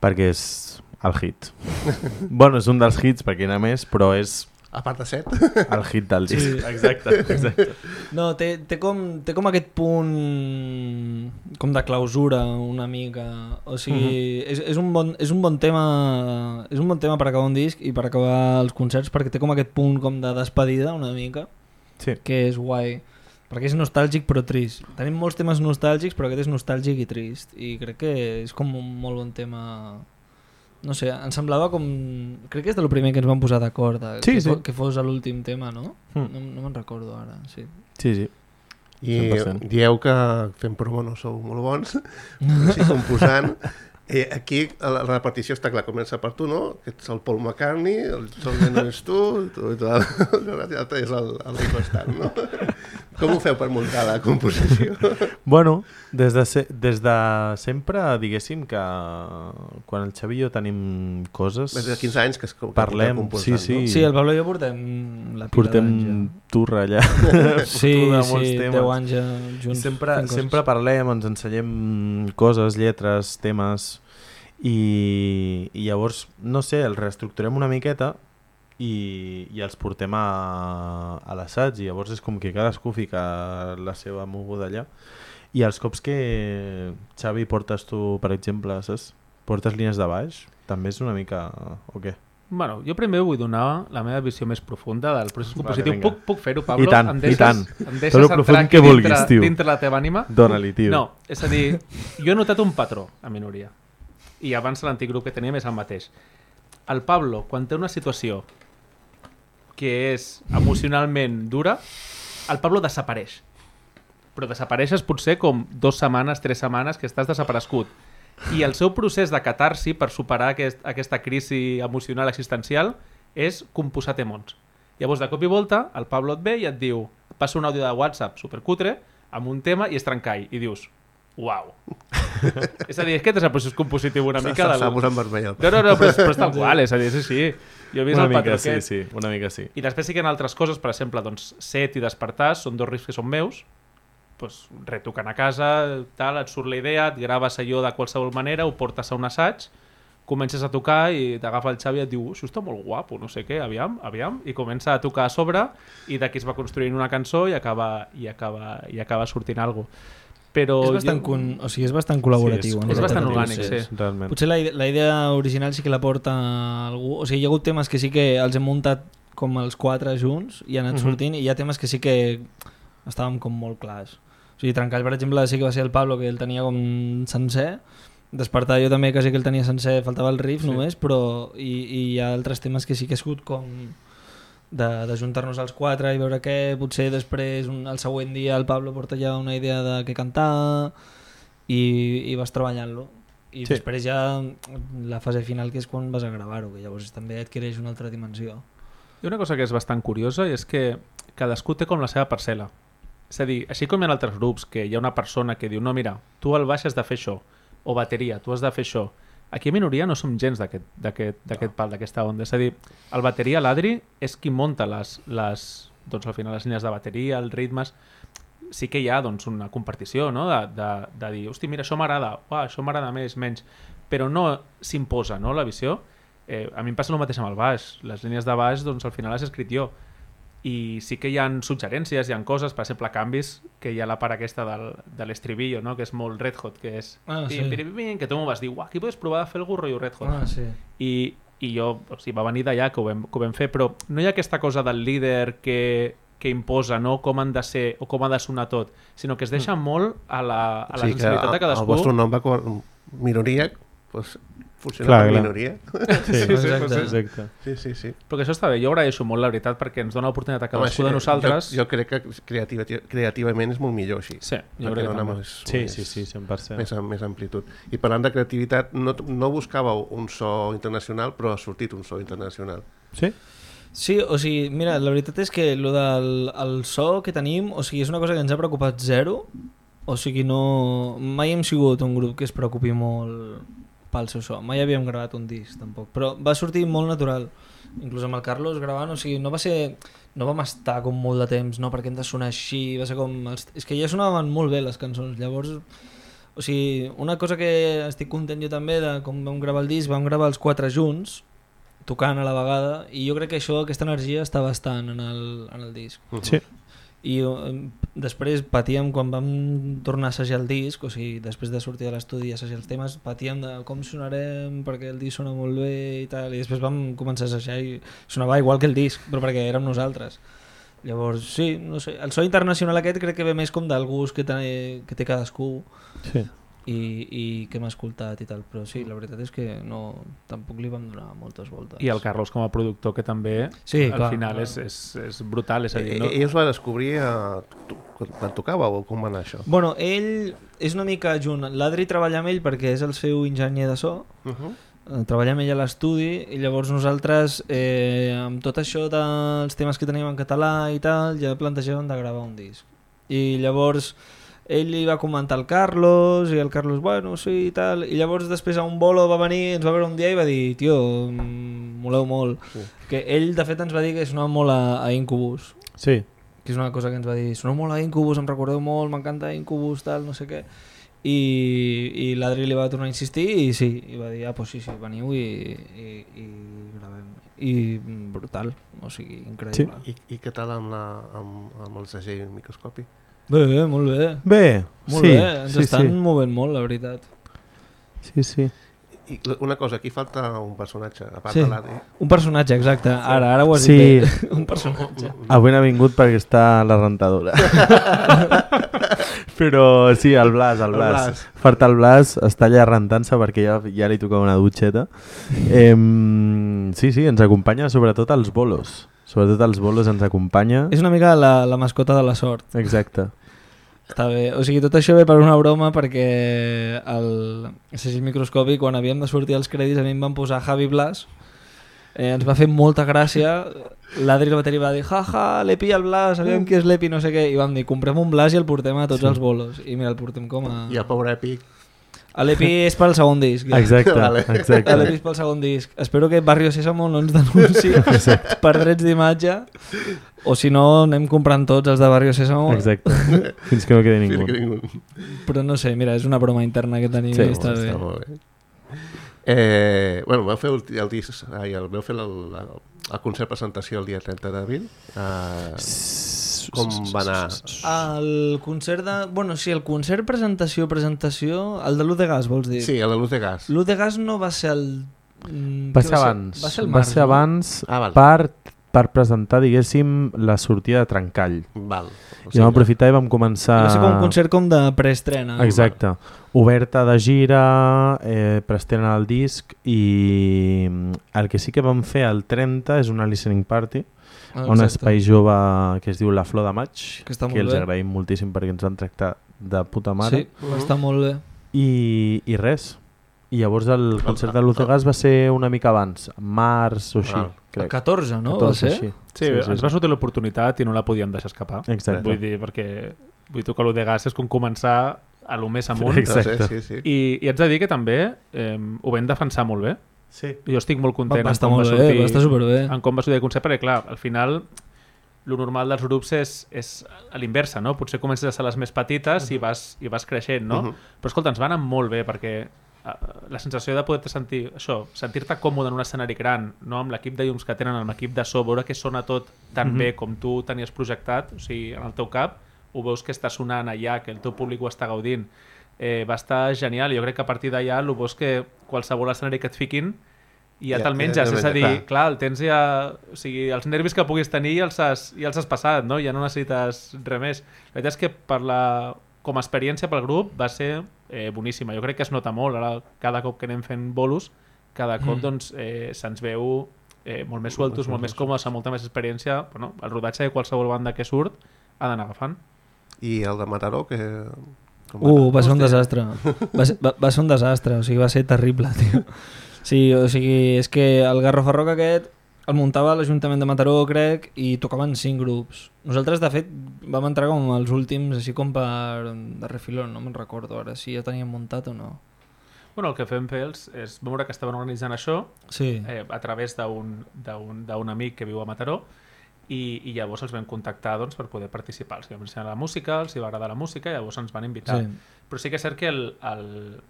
Speaker 3: Perquè és el hit. Bueno, és un dels hits, perquè n'hi ha més, però és
Speaker 2: a part de set.
Speaker 3: El hit del disc.
Speaker 5: Sí.
Speaker 3: Exacte, exacte.
Speaker 5: No, té, té, com, té com aquest punt com de clausura una mica. O sigui, uh-huh. és, és, un bon, és un bon tema és un bon tema per acabar un disc i per acabar els concerts, perquè té com aquest punt com de despedida una mica,
Speaker 3: sí.
Speaker 5: que és guai. Perquè és nostàlgic però trist. Tenim molts temes nostàlgics, però aquest és nostàlgic i trist. I crec que és com un molt bon tema. No sé, em semblava com... Crec que és del primer que ens vam posar d'acord,
Speaker 3: sí,
Speaker 5: que,
Speaker 3: sí.
Speaker 5: fos, que fos l'últim tema, no?
Speaker 3: Mm.
Speaker 5: No, no me'n recordo ara, sí.
Speaker 3: Sí, sí.
Speaker 2: I
Speaker 3: cent per cent.
Speaker 2: dieu que fent promo no sou molt bons, així composant. Eh, aquí la repartició està clar, comença per tu, no? Que ets el Paul McCartney, el John Lennon és tu, tu i tu, l'altre és el, el Ringo Starr, no? Com ho feu per muntar la composició?
Speaker 3: Bueno, des de, se des de sempre, diguéssim que quan el Xavi i jo tenim coses...
Speaker 2: Des de quinze anys que, es, que
Speaker 3: parlem,
Speaker 2: composant,
Speaker 3: sí, sí.
Speaker 2: no?
Speaker 5: Sí, el Pablo i jo portem la pila
Speaker 3: Portem
Speaker 5: d'anys ja.
Speaker 3: turra allà.
Speaker 5: Sí,
Speaker 3: Turra
Speaker 5: sí,
Speaker 3: temes.
Speaker 5: deu anys ja junts.
Speaker 3: Sempre,
Speaker 5: fent coses.
Speaker 3: sempre parlem, ens ensenyem coses, lletres, temes i, i llavors, no sé, els reestructurem una miqueta i, i els portem a, a l'assaig i llavors és com que cadascú fica la seva moguda allà i els cops que Xavi portes tu, per exemple, saps? Portes línies de baix, també és una mica... o què?
Speaker 4: Bueno, jo primer vull donar la meva visió més profunda del procés compositiu.
Speaker 3: Vale,
Speaker 4: puc puc fer-ho, Pablo?
Speaker 3: I tant,
Speaker 4: em deixes,
Speaker 3: i tant.
Speaker 4: Em deixes
Speaker 3: Tot el
Speaker 4: entrar
Speaker 3: profund
Speaker 4: aquí
Speaker 3: que vulguis,
Speaker 4: dintre,
Speaker 3: tio.
Speaker 4: dintre la teva ànima?
Speaker 3: Dóna-li, tio.
Speaker 4: No, és a dir, jo he notat un patró a minoria. I abans l'antic grup que teníem és el mateix. El Pablo, quan té una situació que és emocionalment dura, el Pablo desapareix. Però desapareixes potser com dues setmanes, tres setmanes que estàs desaparegut. I el seu procés de catarsi per superar aquest, aquesta crisi emocional existencial és composar temons. Llavors, de cop i volta, el Pablo et ve i et diu, passa un àudio de WhatsApp supercutre amb un tema i és trencall. I dius, uau. És a dir, és que és el procés compositiu una mica...
Speaker 2: S'ha posat vermell.
Speaker 4: No, no, no, però és, però és tal qual, és a dir, és així. Jo he vist
Speaker 3: una
Speaker 4: el patró
Speaker 3: mica sí,
Speaker 4: aquest.
Speaker 3: sí, una mica sí.
Speaker 4: I després sí que hi ha altres coses, per exemple, doncs, Set i Despertar són dos riffs que són meus, pues, retocant a casa, tal, et surt la idea, et graves allò de qualsevol manera, ho portes a un assaig, comences a tocar i t'agafa el Xavi i et diu això està molt guapo, no sé què, aviam, aviam, i comença a tocar a sobre i d'aquí es va construint una cançó i acaba, i acaba, i acaba sortint alguna cosa. Però
Speaker 5: és bastant,
Speaker 4: jo...
Speaker 5: con... o sigui, és bastant col·laboratiu.
Speaker 4: Sí, és, és bastant orgànic, sí.
Speaker 3: Realment.
Speaker 5: Potser la, la idea original sí que la porta algú. O sigui, hi ha hagut temes que sí que els hem muntat com els quatre junts i han anat
Speaker 3: Uh-huh.
Speaker 5: sortint, i hi ha temes que sí que estàvem com molt clars. O sigui, Trencall, per exemple, sí que va ser el Pablo, que el tenia com sencer. Despertar jo també quasi que el tenia sencer, faltava el riff
Speaker 3: Sí.
Speaker 5: només, però i, i hi ha altres temes que sí que ha sigut com de, de juntar-nos els quatre i veure què, potser després un, el següent dia el Pablo porta ja una idea de què cantar i, i vas treballant-lo. I
Speaker 3: Sí.
Speaker 5: després ja la fase final, que és quan vas a gravar-ho, que llavors també adquireix una altra dimensió.
Speaker 4: Hi ha una cosa que és bastant curiosa i és que cadascú té com la seva parcel·la. És a dir, així com hi ha altres grups que hi ha una persona que diu no, mira, tu al baix has de fer això, o bateria, tu has de fer això. Aquí a Minoria no som gens d'aquest no. pal, d'aquesta onda. És a dir, el bateria, l'Adri, és qui munta les, les, doncs, al final les línies de bateria, els ritmes. Sí que hi ha doncs, una compartició, no? de, de, de dir, hosti, mira, això m'agrada, això m'agrada més, menys, però no s'imposa, no, la visió. Eh, a mi em passa el mateix amb el baix. Les línies de baix, doncs, al final les he escrit jo. I sí que hi ha suggerències, hi ha coses, per exemple, canvis, que hi ha la part aquesta del, de l'estribillo, no? Que és molt Red Hot, que és...
Speaker 5: Ah, sí.
Speaker 4: pim, pim, pim, que tu m'ho vas dir, uah, aquí podes provar de fer algun rotllo Red Hot.
Speaker 5: Ah, sí.
Speaker 4: I, i jo, o sigui, va venir d'allà que, ho vam, que ho vam fer, però no hi ha aquesta cosa del líder que, que imposa, no? Com han de ser o com ha de sonar tot, sinó que es deixa mm. molt a la, a la
Speaker 2: sí,
Speaker 4: sensibilitat de cadascú.
Speaker 2: El vostre nom va com minoria, doncs funciona
Speaker 3: Clar,
Speaker 2: per
Speaker 3: clar.
Speaker 2: minoria.
Speaker 3: Sí,
Speaker 4: Sí, sí,
Speaker 5: exacte.
Speaker 4: sí.
Speaker 3: exacte.
Speaker 2: Sí, sí, sí.
Speaker 4: Però que això està bé, jo agraeixo molt, la veritat, perquè ens dona l'oportunitat a cadascú
Speaker 2: Home,
Speaker 4: de nosaltres.
Speaker 2: Jo, jo crec que creativa, creativament és molt millor així.
Speaker 4: Sí, jo
Speaker 2: perquè
Speaker 4: crec que
Speaker 2: dona
Speaker 4: també.
Speaker 2: més,
Speaker 3: Sí,
Speaker 2: més,
Speaker 3: sí, sí, cent per cent.
Speaker 2: Més, més amplitud. I parlant de creativitat, no, no buscàveu un so internacional, però ha sortit un so internacional.
Speaker 3: Sí?
Speaker 5: Sí, o sigui, mira, la veritat és que lo del el so que tenim, o sigui, és una cosa que ens ha preocupat zero, o sigui, no... mai hem sigut un grup que es preocupi molt pel seu so, mai havíem gravat un disc tampoc, però va sortir molt natural, inclús amb el Carlos gravant, o sigui, no va ser... no vam estar com molt de temps, no, perquè hem de sonar així, va ser com... Els... és que ja sonaven molt bé les cançons, llavors... o sigui, una cosa que estic content jo també de com vam gravar el disc, vam gravar els quatre junts, tocant a la vegada, i jo crec que això, aquesta energia està bastant en el, en el disc.
Speaker 3: Sí.
Speaker 5: I eh, després patíem quan vam tornar a assajar el disc, o sigui, després de sortir de l'estudi i assajar els temes, patíem de com sonarem perquè el disc sona molt bé i tal, i després vam començar a assajar i sonava igual que el disc, però perquè érem nosaltres. Llavors, sí, no sé, el so internacional aquest crec que ve més com del gust que té, que té cadascú.
Speaker 3: Sí.
Speaker 5: I, i que hem escoltat i tal, però sí, la veritat és que no, tampoc li vam donar moltes voltes.
Speaker 4: I el Carlos com a productor, que també
Speaker 5: sí,
Speaker 4: al
Speaker 5: clar,
Speaker 4: final
Speaker 5: clar.
Speaker 4: És, és, és brutal, és a dir, no?
Speaker 2: Ell es va descobrir a... quan tocava o com va anar això?
Speaker 5: Bueno, ell és una mica junt, l'Adri treballa amb ell perquè és el seu enginyer de so,
Speaker 2: Uh -huh.
Speaker 5: treballem ell a l'estudi i llavors nosaltres eh, amb tot això dels temes que teníem en català i tal ja plantejàvem de gravar un disc i llavors ell li va comentar al Carlos i el Carlos, bueno, sí i tal, i llavors després a un bolo va venir, ens va veure un dia i va dir, tio, moleu molt, sí. Que ell de fet ens va dir que sonava molt a, a Incubus,
Speaker 3: Sí.
Speaker 5: que és una cosa que ens va dir, soneu molt a Incubus, em recordeu molt, m'encanta Incubus, tal, no sé què, i, i l'Adri li va tornar a insistir i sí, i va dir, ah, pues sí, sí, veniu i, i, i gravem, i brutal, o sigui, increïble.
Speaker 3: Sí.
Speaker 2: I, I què tal amb, la, amb, amb el segell microscopi?
Speaker 5: Bé, bé, molt bé.
Speaker 3: Bé,
Speaker 5: Molt
Speaker 3: sí,
Speaker 5: bé, ens
Speaker 3: sí,
Speaker 5: estan
Speaker 3: sí.
Speaker 5: movent molt, la veritat.
Speaker 3: Sí, sí.
Speaker 2: I una cosa, aquí falta un personatge, a part
Speaker 5: Sí.
Speaker 2: de l'Adri.
Speaker 5: Un personatge, exacte. Ara, ara ho has
Speaker 3: Sí.
Speaker 5: dit bé. Un personatge.
Speaker 3: Avui n'ha vingut perquè està a la rentadora. Però sí, el Blas, el
Speaker 2: El
Speaker 3: Blas.
Speaker 2: Blas.
Speaker 3: Falta el Blas, està allà rentant-se perquè ja, ja li tocava una dutxeta. Eh, sí, sí, ens acompanya sobretot als bolos. Sobretot als bolos ens acompanya.
Speaker 5: És una mica la, la mascota de la sort.
Speaker 3: Exacte.
Speaker 5: Està bé. O sigui, tot això ve per una broma perquè el segell microscopi, quan havíem de sortir als crèdits, a mi em van posar Javi Blas. Eh, ens va fer molta gràcia. L'Adri el bateri va dir, jaja, l'Epi i el Blas, sabíem qui és l'Epi, no sé què. I vam dir, comprem un Blas i el portem a tots
Speaker 3: Sí.
Speaker 5: els bolos. I mira, el portem com a...
Speaker 2: I el pobre Epic.
Speaker 5: L'Epi és pel segon disc. Ja.
Speaker 3: Exacte,
Speaker 2: Vale.
Speaker 3: exacte.
Speaker 5: L'Epi és pel segon disc. Espero que Barrio Sésamo no ens denunciï per drets d'imatge. O si no, anem comprant tots els de Barrio Sésamo.
Speaker 3: Exacte. Fins que no quedi
Speaker 2: Fins
Speaker 3: ningú.
Speaker 2: que ningú.
Speaker 5: Però no sé, mira, és una broma interna que tenim
Speaker 3: Sí,
Speaker 5: i està bé.
Speaker 2: Està molt bé. Eh, bueno, vau fer el, el disc, ai, el, vau fer el, el, el concert presentació el dia trenta d'abril. Uh, com va anar?
Speaker 5: El concert de... Bueno, sí, el concert presentació, presentació... El de l'U de Gas, vols dir?
Speaker 2: Sí, el de Luz de Gas.
Speaker 5: L'U de Gas no va ser el... mm,
Speaker 3: Va
Speaker 5: què
Speaker 3: ser abans.
Speaker 5: Va ser el
Speaker 3: Va
Speaker 5: març,
Speaker 3: ser
Speaker 5: no?
Speaker 3: abans
Speaker 2: Ah, val.
Speaker 3: per, per presentar, diguéssim, la sortida de Trencall.
Speaker 2: Val. O
Speaker 3: I vam aprofitar i vam començar...
Speaker 5: Va ser com un concert com de preestrena.
Speaker 3: Exacte. Oberta de gira, eh, preestrena el disc i el que sí que vam fer el trenta és una listening party,
Speaker 5: Ah,
Speaker 3: un
Speaker 5: exacte.
Speaker 3: espai jove que es diu La Flor de Maig,
Speaker 5: Que està
Speaker 3: que
Speaker 5: molt
Speaker 3: els
Speaker 5: bé.
Speaker 3: agraïm moltíssim perquè ens van tractar de puta mare.
Speaker 5: Sí, va estar molt bé.
Speaker 3: I, i res. I llavors el concert de Luz de Gas va ser una mica abans, març o així,
Speaker 2: Ah.
Speaker 5: El
Speaker 3: crec.
Speaker 5: catorze, no?
Speaker 3: catorze,
Speaker 5: va ser?
Speaker 3: així.
Speaker 4: Sí, sí, ens va sortir l'oportunitat i no la podíem deixar escapar.
Speaker 3: Exacte.
Speaker 4: Vull dir, perquè vull dir, que l'U de Gas és com començar a lo més amunt.
Speaker 3: Exacte.
Speaker 2: Sí, sí.
Speaker 4: I, I haig de dir que també eh, ho vam defensar molt bé.
Speaker 3: Sí.
Speaker 4: Jo estic molt
Speaker 5: Va,
Speaker 4: content
Speaker 5: va
Speaker 4: en
Speaker 5: estar
Speaker 4: com va
Speaker 5: molt bé,
Speaker 4: sortir,
Speaker 5: va estar superbé.
Speaker 4: en com va sortir el concert, perquè clar, al final lo normal dels grups és, és a l'inversa, no? Potser comences a ser les més petites i vas, i vas creixent, no?
Speaker 2: Uh -huh.
Speaker 4: Però escolta, ens va anar molt bé perquè uh, la sensació de poder sentir això, sentir-te còmode en un escenari gran, no? Amb l'equip de llums que tenen, amb l'equip de so, veure que sona tot tan
Speaker 3: Uh -huh.
Speaker 4: bé com tu tenies projectat, o sigui, en el teu cap, ho veus que està sonant allà, que el teu públic ho està gaudint. Eh, va estar genial, jo crec que a partir d'allà el veus que qualsevol escenari que et fiquin i ja,
Speaker 2: Ja,
Speaker 4: te'l
Speaker 2: ja,
Speaker 4: menges,
Speaker 2: ja,
Speaker 4: és a dir,
Speaker 2: clar.
Speaker 4: clar, el tens ja... O sigui, els nervis que puguis tenir ja els has, ja els has passat, no? Ja no necessites res més. La veritat és que per la, com a experiència pel grup va ser eh, boníssima. Jo crec que es nota molt, ara cada cop que anem fent bolos, cada cop
Speaker 5: Mm.
Speaker 4: doncs, eh, se'ns veu eh, molt més sueltos, molt més còmodes, amb molta més experiència. Bueno, el rodatge de qualsevol banda que surt ha d'anar agafant.
Speaker 2: I el de Mataró, que... com
Speaker 5: Uh,
Speaker 2: anar?
Speaker 5: va ser un
Speaker 2: Hòstia.
Speaker 5: desastre. Va ser, va, va ser un desastre, o sigui, va ser terrible, tio. Sí, o sigui, és que el Garrofa Rock aquest el muntava l'Ajuntament de Mataró, crec, i tocaven cinc grups. Nosaltres, de fet, vam entrar com els últims, així com per de refilón, no me'n recordo ara si ja teníem muntat o no.
Speaker 4: Bueno, el que fem fer els és veure que estaven organitzant això
Speaker 5: Sí,
Speaker 4: eh, a través d'un d'un- d'un amic que viu a Mataró i, i llavors els vam contactar doncs, per poder participar. Els vam ensenyar la música, els hi va agradar la música i llavors ens van invitar.
Speaker 5: sí.
Speaker 4: Però sí que és cert que el, el,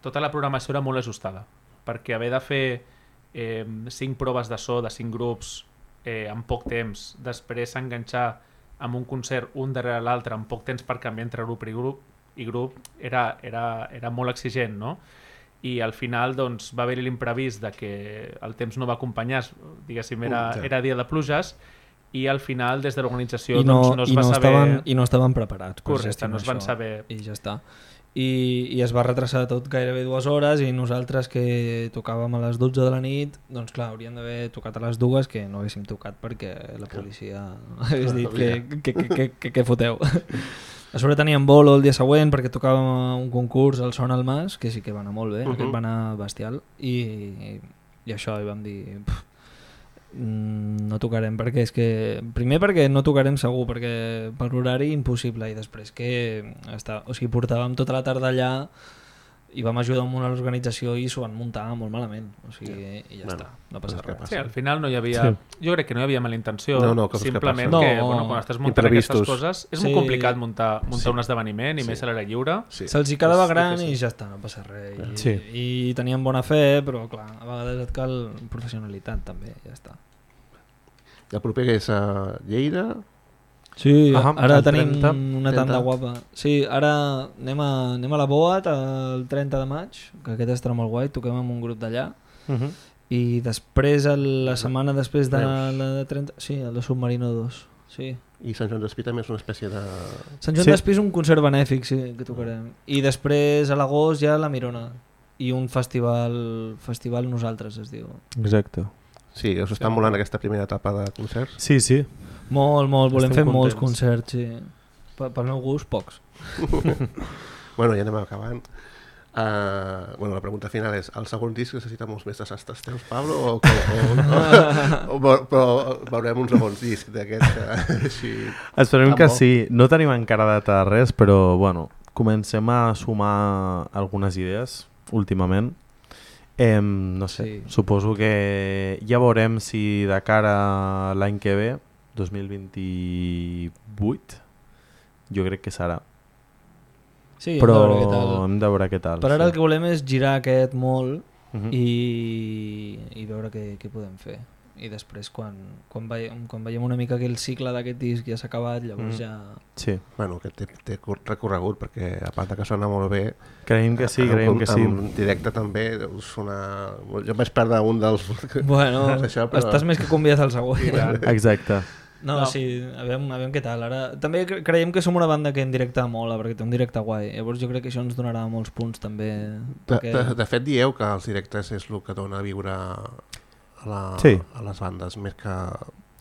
Speaker 4: tota la programació era molt ajustada, perquè haver de fer eh, cinc proves de so de cinc grups eh, en poc temps, després s'enganxar amb un concert un darrere l'altre en poc temps per canviar entre grup i grup, i grup era, era, era molt exigent, no? I al final doncs, va haver-hi l'imprevist de que el temps no va acompanyar, diguéssim, era, era dia de pluges, i al final des de l'organització
Speaker 5: no,
Speaker 4: doncs, no es
Speaker 5: i
Speaker 4: va
Speaker 5: no
Speaker 4: saber...
Speaker 5: Estaven, I no estaven preparats.
Speaker 4: Correcte, no es van
Speaker 5: això,
Speaker 4: saber...
Speaker 5: I ja està. I, I es va retrasar tot gairebé dues hores i nosaltres que tocàvem a les dotze de la nit, doncs clar, hauríem d'haver tocat a les dues, que no haguéssim tocat perquè la policia hagués dit que, que, que, que, que, que foteu. A sobre teníem bolo el dia següent perquè tocàvem un concurs al Son al Mas, que sí que va anar molt bé, uh -huh. aquest va anar bestial, i, i això, i vam dir pff, no tocarem, perquè és que primer perquè no tocarem segur, perquè per l'horari impossible, i després que està, o sigui, portàvem tota la tarda allà i vam ajudar amb una organització i s'ho van muntar molt malament, o sigui, sí. I ja bueno, està, no passa res.
Speaker 4: Sí, al final no hi havia, sí. jo crec que no hi havia mala intenció,
Speaker 2: no, no,
Speaker 4: simplement
Speaker 2: que,
Speaker 4: que,
Speaker 5: no,
Speaker 4: bueno, quan estàs muntant aquestes coses és sí. molt complicat muntar, muntar sí. un esdeveniment i sí. més a l'aire lliure.
Speaker 5: Sí. Se'ls hi quedava gran i ja està, no passa res. I, sí. I tenien bona fe, però clar, a vegades et cal professionalitat també, ja està.
Speaker 2: El proper és a Lleida.
Speaker 5: Sí, ah, ara tenim
Speaker 3: trenta,
Speaker 5: una tanda guapa. Sí, ara anem a, anem a la Boat el trenta de maig, que aquest estarà molt guai, toquem amb un grup d'allà. Uh -huh. I després, la setmana després de Reus. La de trenta... Sí, el de Submarino dos. Sí.
Speaker 2: I Sant Joan d'Espí també és una espècie de...
Speaker 5: Sant Joan sí. d'Espí és un concert benèfic, sí, que tocarem. I després, a l'agost, ja la Mirona. I un festival, festival Nosaltres, es diu.
Speaker 3: Exacte.
Speaker 2: Sí, us està molant aquesta primera etapa de concerts?
Speaker 3: Sí, sí.
Speaker 5: Molt, molt. Volem Estem fer contents. Molts concerts, sí. Pel meu gust, pocs.
Speaker 2: Bueno, ja anem acabant. Uh, bueno, la pregunta final és: el segon disc necessita molts més desastres teus, Pablo? O, o, o, o, però veurem un segon disc d'aquest així...
Speaker 3: Esperem que sí. No tenim encara data de res, però bueno, comencem a sumar algunes idees últimament. Eh, no sé, sí. Suposo que ja veurem si de cara a l'any que ve, dos mil vint-i-vuit, jo crec que serà.
Speaker 5: Sí,
Speaker 3: però
Speaker 5: hem de veure què tal.
Speaker 3: Hem de veure què tal.
Speaker 5: Per ara
Speaker 3: sí.
Speaker 5: El que volem és girar aquest molt
Speaker 3: uh-huh.
Speaker 5: i, i veure què, què podem fer. I després, quan, quan, veiem, quan veiem una mica que el cicle d'aquest disc ja s'ha acabat, llavors mm. ja...
Speaker 3: Sí.
Speaker 2: Bueno, que té, té recorregut, perquè a part que sona molt bé...
Speaker 3: Creiem que sí, creiem que sí.
Speaker 2: En directe també sona... Jo vaig perdre un dels...
Speaker 5: Bueno, això, però... estàs més que convidat al següent.
Speaker 3: Exacte.
Speaker 5: No, no, sí, a veure, a veure què tal. Ara, també creiem que som una banda que en directe mola, perquè té un directe guai. Llavors jo crec que això ens donarà molts punts també.
Speaker 2: De, perquè... de, de fet, dieu que els directes és el que dona a viure a, la,
Speaker 3: sí.
Speaker 2: a les bandes, més que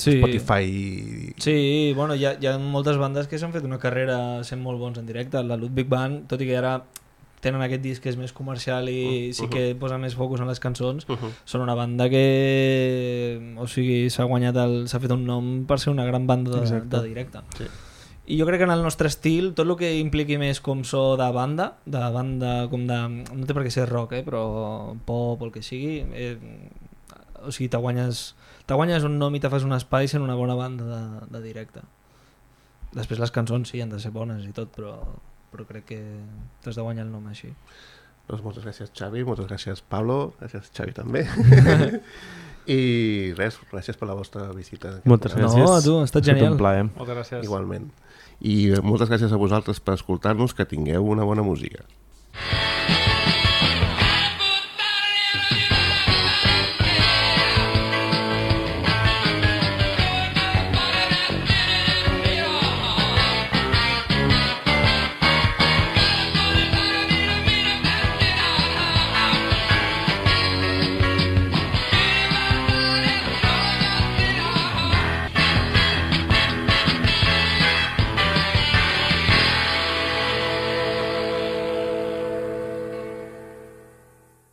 Speaker 5: sí.
Speaker 2: Spotify.
Speaker 5: Sí, bueno, hi ha, hi ha moltes bandes que s'han fet una carrera sent molt bons en directe. La Ludwig Band, tot i que ara tenen aquest disc que és més comercial i uh-huh. sí que posa més focus en les cançons, uh-huh. són una banda que o sigui, s'ha guanyat el, s'ha fet un nom per ser una gran banda de, de directe.
Speaker 2: Sí.
Speaker 5: I jo crec que en el nostre estil, tot el que impliqui més com so de banda, de banda com de... no té per què ser rock, eh, però pop o el que sigui, eh, o sigui, te guanyes, te guanyes un nom i te fas un espai sent una bona banda de, de directe. Després les cançons sí, han de ser bones i tot, però... però crec que t'has de guanyar el nom així.
Speaker 2: Doncs moltes gràcies, Xavi, moltes gràcies, Pablo, gràcies, Xavi, també. I res, gràcies per la vostra visita.
Speaker 3: Moltes gràcies.
Speaker 5: No, a tu, ha estat genial.
Speaker 3: Un plaer.
Speaker 4: Moltes gràcies.
Speaker 2: Igualment. I moltes gràcies a vosaltres per escoltar-nos, que tingueu una bona música.